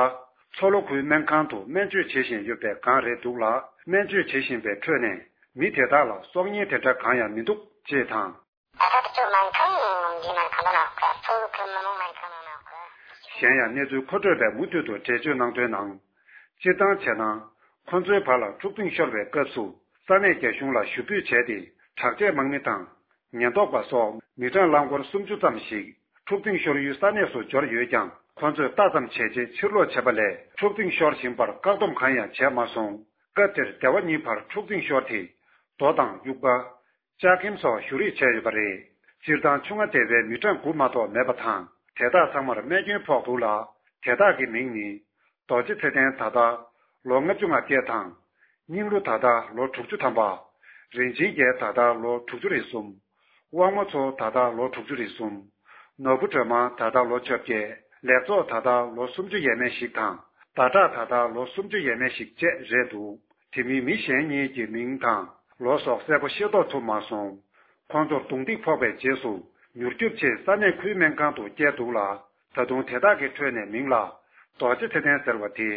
མཚོ་ལྷོ་ཁུལ་སྨན་ཁང་དུ་སྨན་བཅོས་བྱེད་བཞིན་ཡོད་པའི་སྒང་རེད་འདུག་ལ། སྨན་བཅོས་བྱེད་བཞིན་པའི་ཁྲོད་ནས་མི་དེ་དག་ལ་སྲོག་ཉེན་དེ་འདྲ་གང་ཡང་མི་འདུག་ཅེས་དང་། ད་ལྟ་དེ་ཚོ་སྨན་ཁང་འདི་སྨན་ཁང་ལ་ནག་པ་མཚོ་ལྷོ་ཁུལ་མི་དམངས་སྨན་ཁང་ནང་ནག་པ། གཞན་ཡང་གནས་ཚུལ་མཁོ་སྤྲོད་པས་མུ་མཐུད་དུ་འགྲེལ་བརྗོད་གནང་དོན་ནང་། སྤྱིར་བཏང་བྱས་ན། ཁོ་ཚོའི་བར་ལ་འཁྲུག་འཛིང་ཤོར་བའི་སྐབས་སུ་ས་གནས་རྒྱ་གཞུང་ལ་ཞུ་འབོད་བྱས་ཏེ། དྲག་ཆས་དམག་མི་དང་། ཉེན་རྟོག་པ་སོགས་མི་གྲངས་རླངས་འཁོར་སུམ་ཅུ་ཙམ་ཞིག་འཁྲུག་འཛིང་ཤོར་ཡུལ་ས་གནས་སུ་འབྱོར་ཡོད་ཀྱང་། ཁོ་ཚོས་ལྟ་ཙམ་བྱས་རྗེས་ཕྱིར་ལོག་བྱས་པ་ལས། འཁྲུག་འཛིང་ཤོར་བཞིན་པར་བཀག་སྡོམ་གང་ཡང་བྱས་མ་སོང་། སྐབས་དེར་སྡེ་བ་གཉིས་བར་འཁྲུག་འཛིང་ཤོར་ཏེ། རྡོ་དང་དབྱུག་པ། ལྕགས་ཁེམ་སོགས་གཞུ་རེས་བྱས་ཡོད་པ་རེད། སྤྱིར་བཏང་ཆུ་རྔ་སྡེ་བའི་མི་གྲངས་དགུ་མ་གཏོགས་མེད་པ་དང་། དེ་དག་ཚང་མར་རྨས་སྐྱོན་ཕོག་འདུག་ལ། དེ་དག་གི་མིང་ནི། རྡོ་རྗེ་ཚེ་བརྟན། ད་ལྟ་ལོ་ལྔ་བཅུ་ང་བརྒྱད་དང་། སྙིང་རླུང་། ད་ལྟ་ལོ་དྲུག་ཅུ་ཐམ་པ། རིན་ཆེན་རྒྱལ། ད་ལྟ་ལོ་དྲུག་ཅུ་རེ་གསུམ། དབང་མོ་མཚོ། ད་ལྟ་ལོ་དྲུག་ཅུ་རེ་གསུམ། ནོར་བུ་སྒྲོལ་མ། ད་ལྟ་ལོ་བཅོ་བརྒྱད། ལེགས་ཚོགས། ད་ལྟ་ལོ་སུམ་ཅུ་ཡས་མས་ཤིག་དང་། ཟླ་གྲགས། ད་ལྟ་ལོ་སུམ་ཅུ་ཡས་མས་ཤིག་བཅས་རེད་འདུག་དེ་མིན་མི་གཞན་གཉིས་ཀྱི་མིང་དང་ལོ་སོགས་གསལ་པོ་ཤེས་རྟོགས་ཐུབ་མ་སོང་། ཁོང་ཚོར་རྡུང་རྡེག་ཕོག་པའི་རྗེས་སུ་མྱུར་སྐྱོབ་ཆེད་ས་གནས་ཁུལ་སྨན་ཁང་དུ་བསྐྱལ་འདུག་ལ། ད་དུང་དེ་དག་གི་ཁྲོད་ནས་མིང་ལ་རྡོ་རྗེ་ཚེ་བརྟན་ཟེར་བ་དེ་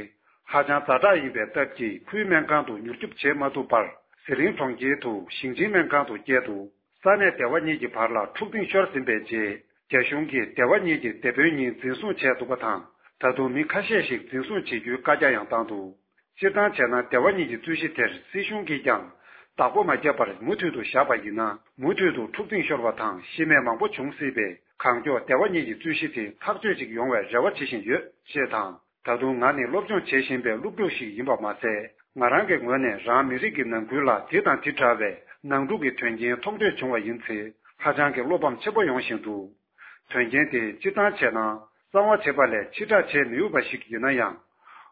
ཧ་ཅང་ཛ་དྲག་ཡིན་པའི་སྟབས་ཀྱིས་ཁུལ་སྨན་ཁང་དུ་མྱུར་སྐྱོབ་བྱེད་མ་ཐུབ་པར་ཟི་ལིང་གྲོང་ཁྱེར་དུ་ཞིང་ཆེན་སྨན་ཁང་དུ་བསྐྱལ་འདུག་ས་གནས་སྡེ་བ་གཉིས་ཀྱི་བར་ལ་འཁྲུག་འཛིང་ཤོར་ཟིན་པའི་རྗེས། རྒྱ་གཞུང་གིས་སྡེ་བ་གཉིས་ཀྱི་སྡེ་དཔོན་གཉིས་འཛིན་བཟུང་བྱས་འདུག་པ་དང་། ད་དུང་མི་ཁ་ཤས་ཤིག་འཛིན་བཟུང་བྱེད་རྒྱུའི་བཀའ་རྒྱ་ཡང་བཏང་འདུག་སྤྱིར་བཏང་བྱས་ན། སྡེ་བ་གཉིས་ཀྱི་རྩོད་གཞི་དེར་སྲིད་གཞུང་གིས་ཀྱང་བདག་པོ་མ་བརྒྱབ་པར་མུ་མཐུད་དུ་བཞག་པ་ཡིན་ན། མུ་མཐུད་དུ་འཁྲུག་འཛིང་ཤོར་བ་དང་ཤི་རྨས་མང་པོ་འབྱུང་སྲིད་པས། གང་མགྱོགས་སྡེ་བ་གཉིས་ཀྱི་རྩོད་གཞི་དེ་ཐག་གཅོད་ཅིག་ཡོང་བའི་རེ་བ་བྱེད་བཞིན་ཡོད་ཅེས་དང་། ད་དུང་ང་ནི་སློབ་སྦྱོང་བྱེད་བཞིན་པའི་སློབ་ཕྲུག་ཞིག་ཡིན་པ་མ་ཟད། ང་རང་གི་ངོས་ནས་རང་མི་རིགས་ཀྱི་ནང་ཁུལ་ལ་དེ་དང་དེ་འདྲ་བའི་ནང་འཁྲུག་གི་དོན་རྐྱེན་མཐོང་ཐོས་བྱུང་བ་ཡིན་ཚེ། ཧ་ཅང་གི་བློ་ཕམ་ཆེན་པོ་ཡོང་བཞིན་འདུག་དོན་རྐྱེན་དེ་སྤྱིར་བཏང་བྱས་ན་གསང་བ་བྱེད་པ་ལས་ཕྱིར་བསྒྲགས་བྱེད་མི་འོས་པ་ཞིག་ཡིན་ན་ཡང་།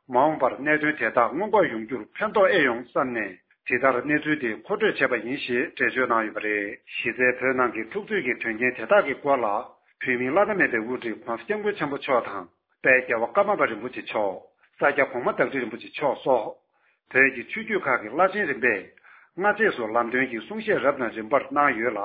མ་འོངས་པར་གནད་དོན་དེ་དག་སྔོན་འགོག་ཡོང་རྒྱུར་ཕན་ཐོགས་ཨེ་ཡོང་བསམ་ནས། དེ་ལྟར་གནས་ཚུལ་དེ་མཁོ་སྤྲོད་བྱས་པ་ཡིན་ཞེས་འགྲེལ་བརྗོད་གནང་ཡོད་པ་རེད། གཞི་རྩའི་བོད་ནང་གི་འཁྲུག་རྩོད་ཀྱི་དོན་རྐྱེན་དེ་དག་གི་སྐོར་ལ། བོད་མིའི་བླ་ན་མེད་པའི་དབུ་ཁྲིད་༸གོང་ས་༸སྐྱབས་མགོན་ཆེན་པོ་མཆོག་དང་། དཔལ་རྒྱལ་བ་ཀརྨ་པ་རིན་པོ་ཆེ་མཆོག་ས་སྐྱ་གོང་མ་བདག་ཁྲི་རིན་པོ་ཆེ་མཆོག་སོགས། བོད་ཀྱི་ཆོས་བརྒྱུད་ཁག་གི་བླ་ཆེན་རིམ་པས་སྔ་རྗེས་སུ་ལམ་སྟོན་གྱི་གསུང་བཤད་རབ་དང་རིམ་པར་གནང་ཡོད་ལ།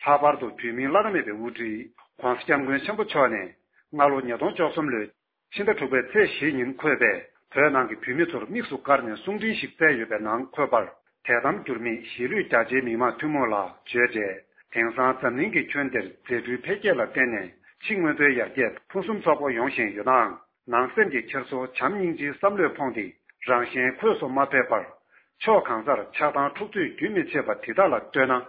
ལྷག་པར་དུ་བོད་མིའི་བླ་ན་མེད་པའི་དབུ་ཁྲིད་༸གོང་ས་༸སྐྱབས་མགོན་ཆེན་པོ་མཆོག་ནས་སྔ་ལོ་ཉིས་སྟོང་བཅུ་གསུམ་ལོའི་ཕྱི་ཟླ་དྲུག་པའི་ཚེས་བཞི་ཉིན་འཁོད་པའི་བོད་ནང་གི་བོད་མི་ཚོར་དམིགས་སུ་བཀར་ནས་གསུང་འཕྲིན་ཞིག་བསྩལ་ཡོད་པའི་ནང་འཁོད་པར། དད་དམ་འགྱུར་མེད་གཞིས་ལུས་རྒྱ་ཆེའི་མི་དམངས་ཐུན་མོང་ལ་བརྗོད་འབྲས། དེང་སང་འཛམ་གླིང་གི་ཁྱོན་འདིར་མཛེས་སྤྲུལ་འཕེལ་རྒྱས་ལ་བརྟེན་ནས་ཕྱི་དངོས་པོའི་ཡར་རྒྱས་ཕུན་སུམ་ཚོགས་པོ་ཡོང་བཞིན་ཡོད་ནའང་། ནང་སེམས་ཀྱི་འཁྱེར་སོ་བྱམས་སྙིང་རྗེའི་བསམ་བློས་ཕོངས་ཏེ། རང་གཞན་འཁོས་སུ་མ་ཕེབས་པར། ཕྱོགས་གང་སར་ཆགས་སྡང་འཁྲུག་རྩོད་རྒྱུན་མི་ཆད་པ་དེ་དག་ལ་ལྟོས་ན།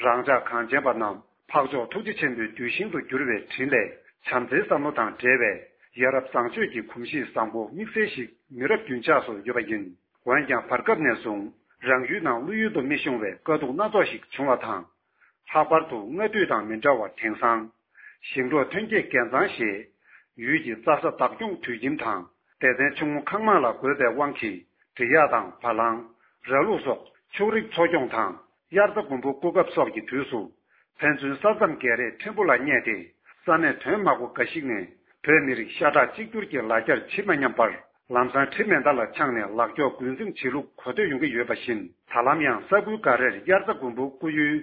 རང་ཅག་གངས་ཅན་པ་རྣམས་འཕགས་མཆོག་ཐུགས་རྗེ་ཆེན་པོའི་གདུལ་ཞིང་དུ་གྱུར་བའི་དྲིན་ལས། བྱམས་བརྩེའི་བསམ་བློ་དང་འབྲེལ་བའི་ཡ་རབས་བཟང་སྤྱོད་ཀྱི་གོམས་གཤིས་བཟང་པོ་དམིགས་བསལ་ཞིག་མི་རབས་རྒྱུན་ཆགས་སུ་ཡོད་པ་ཡིན། འོན་ཀྱང་། བར་སྐབས་ནས་བཟུང་རང་ཡུལ་ནང་བློ་ཡུལ་དུ་མི་ཤོང་བའི་དཀའ་སྡུག་སྣ་ཚོགས་ཤིག་བྱུང་བ་དང་། ལྷག་པར་དུ་སྔ་དུས་དང་མི་འདྲ་བར། དེང་སང་ཞིང་འབྲོག་ཐོན་སྐྱེད་འགན་གཙང་ཞེས། ཡུལ་གྱི་རྩྭ་ས་བདག་སྐྱོང་དུད་ཁྱིམ་དང་སྡེ་ཚན་ཆུང་ངུ་ཁང་མང་ལ་དགོས་པའི་དབང་གིས། འབྲི་གཡག་དང་བ་ལང་། ར་ལུག་སོགས་ཕྱུགས་རིགས་འཚོ་སྐྱོང་དང་། དབྱར་རྩྭ་དགུན་འབུ་རྐུ་རྒྱབ་སོགས་ཀྱི་དུས་སུ། ཕན་ཚུན་ས་མཚམས་བརྒལ་རེས་ཕྲན་བུ་ལ་བསྙད་དེ། ས་གནས་དོན་དམག་པོ་འགའ་ཞིག་ནས་བོད་མི་རིགས་ཤ་ཁྲག་གཅིག་གྱུར་གྱི་ལ་རྒྱར་བྱེད་མ་སྙམ་པར། ལམ་སང་གྲི་མེ་མདའ་ལ་འཆང་ནས་ལག་སྐྱོགས་རྒོལ་འཛིང་བྱེད་ལུགས་གོ་ཐོས་ཡོང་གི་ཡོད་པ་བཞིན། ད་ལམ་ཡང་ས་ཁུལ་འགའ་རེར་དབྱར་རྩྭ་དགུན་འབུ་རྐུ་ཡུལ་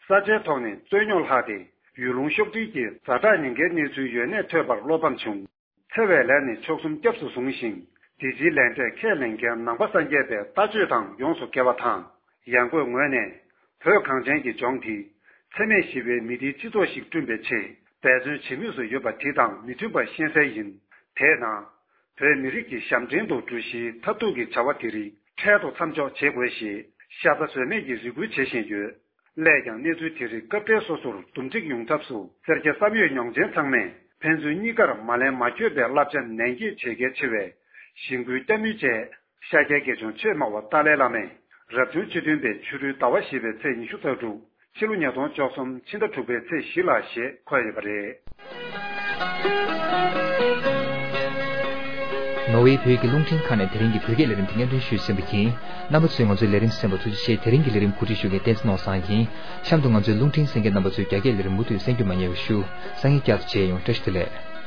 ས་ཆའི་ཐོག་ནས་རྩོད་རྙོག་ལྷགས་ཏེ། ཡུལ་ལུང་ཤོག་དྲིལ་གྱི་ཛ་དྲག་ཉེན་ཁའི་གནས་ཚུལ་ཡོད་གནས་ཐོས་པར་བློ་ཕམ་བྱུང་། འཚེ་བའི་ལས་ནི་མཆོག་གསུམ་སྐྱབས་སུ་བཟུང་ཞིང་། འདི་ཕྱིའི་ལས་འབྲས་ཁས་ལེན་མཁན་ནང་པ་སངས་རྒྱས་པའི་ལྟ་སྤྱོད་དང་ཡོངས་སུ་འགལ་བ་དང་། ཡང་སྒོས་ངོས་ནས། བོད་གངས་ཅན་གྱི་ལྗོངས་འདི། འཚེ་མེད་ཞི་བའི་མི་སྡེའི་སྤྱི་ཚོགས་ཤིག་བསྐྲུན་པའི་ཆེད་འབད་བརྩོན་བྱེད་མུས་སུ་ཡོད་པ་དེ་དང་མི་མཐུན་པ་ཤེས་གསལ་ཡིན། དེས་ན། བོད་མི་རིགས་ཀྱི་ཞབས་འདྲེན་དུ་འགྲོ་གཞིའི་ཐབས་སྡུག་གི་བྱ་བ་དེ་རིགས་འཕྲལ་དུ་མཚམས་འཇོག་བྱེད་དགོས་ཞེས་ཤ་ཚ་བཟོད་མེད་ཀྱི་རེ་སྐུལ་བྱེད་བཞིན་ཡོད། སླད་ཀྱང་གནས་ཚུལ་དེ་རིགས་སྐབས་འཕྲལ་སོ་སོར་འདུམ་འགྲིག་ཡོང་ཐབས་སུ་སེར་སྐྱ་བསམ་ཡོད་མྱོང་ཆེན་ཚང་མས་ཕན་ཚུན་གཉིས་ཀར་མ་ལེན་མ་འཁྱོད་པའི་བསླབ་བྱ་ནན་གྱིས་བྱེད་གལ་ཆེ་བས། ཞིང་ཕུའི་སྐྱ་མིན་བཅས་ཤཱཀྱའི་དགེ་སྦྱོང་ཆོས་སྨྲ་བ་ཏཱ་ལའི་བླ་མས་རབ་བྱུང་ཆིག་སྟོང་པའི་ཕྱི་རུའི་ཟླ་བ་བཞི་པའི་ཚེས་ཉི་ཤུ་རྩ་དྲུག་ཕྱི་ལོ་ཉིས་སྟོང་བཅུ་གསུམ་ཕྱི་ཟླ་དྲུག་པའི་ཚེས་བཞི་ལ་ཞེས་འཁོད་ཡོད་པ་རེད། ནོར་ཝེ་བོད་ཀྱི་རླུང་འཕྲིན་ཁང་ནས་དེ་རིང་གི་བོད་སྐད་ལས་རིམ་དེ་སྙན་སྒྲོན་ཞུས་ཟིན་པ་ཡིན། རྣམ་པ་ཚོས་ང་ཚོའི་ལས་རིམ་གསན་པར་ཐུགས་རྗེ་ཆེ། དེ་རིང་གི་ལས་རིམ་གོ་སྒྲིག་ཞུ་མཁན་བསྟན་འཛིན་ནོར་བཟང་ཡིན། གཤམ་དུ་ང་ཚོའི་རླུང་འཕྲིན་གསན་མཁན་རྣམ་པ་ཚོས་རྒྱ་སྐད་ལས་རིམ་མུ་མཐུད་གསན་རྒྱུ་མ་བསྙེལ་བར་ཞུ། སང་ཉིན་བསྐྱར་དུ་མཇལ་ཡོང་། བཀྲ་ཤིས་བདེ་ལེགས།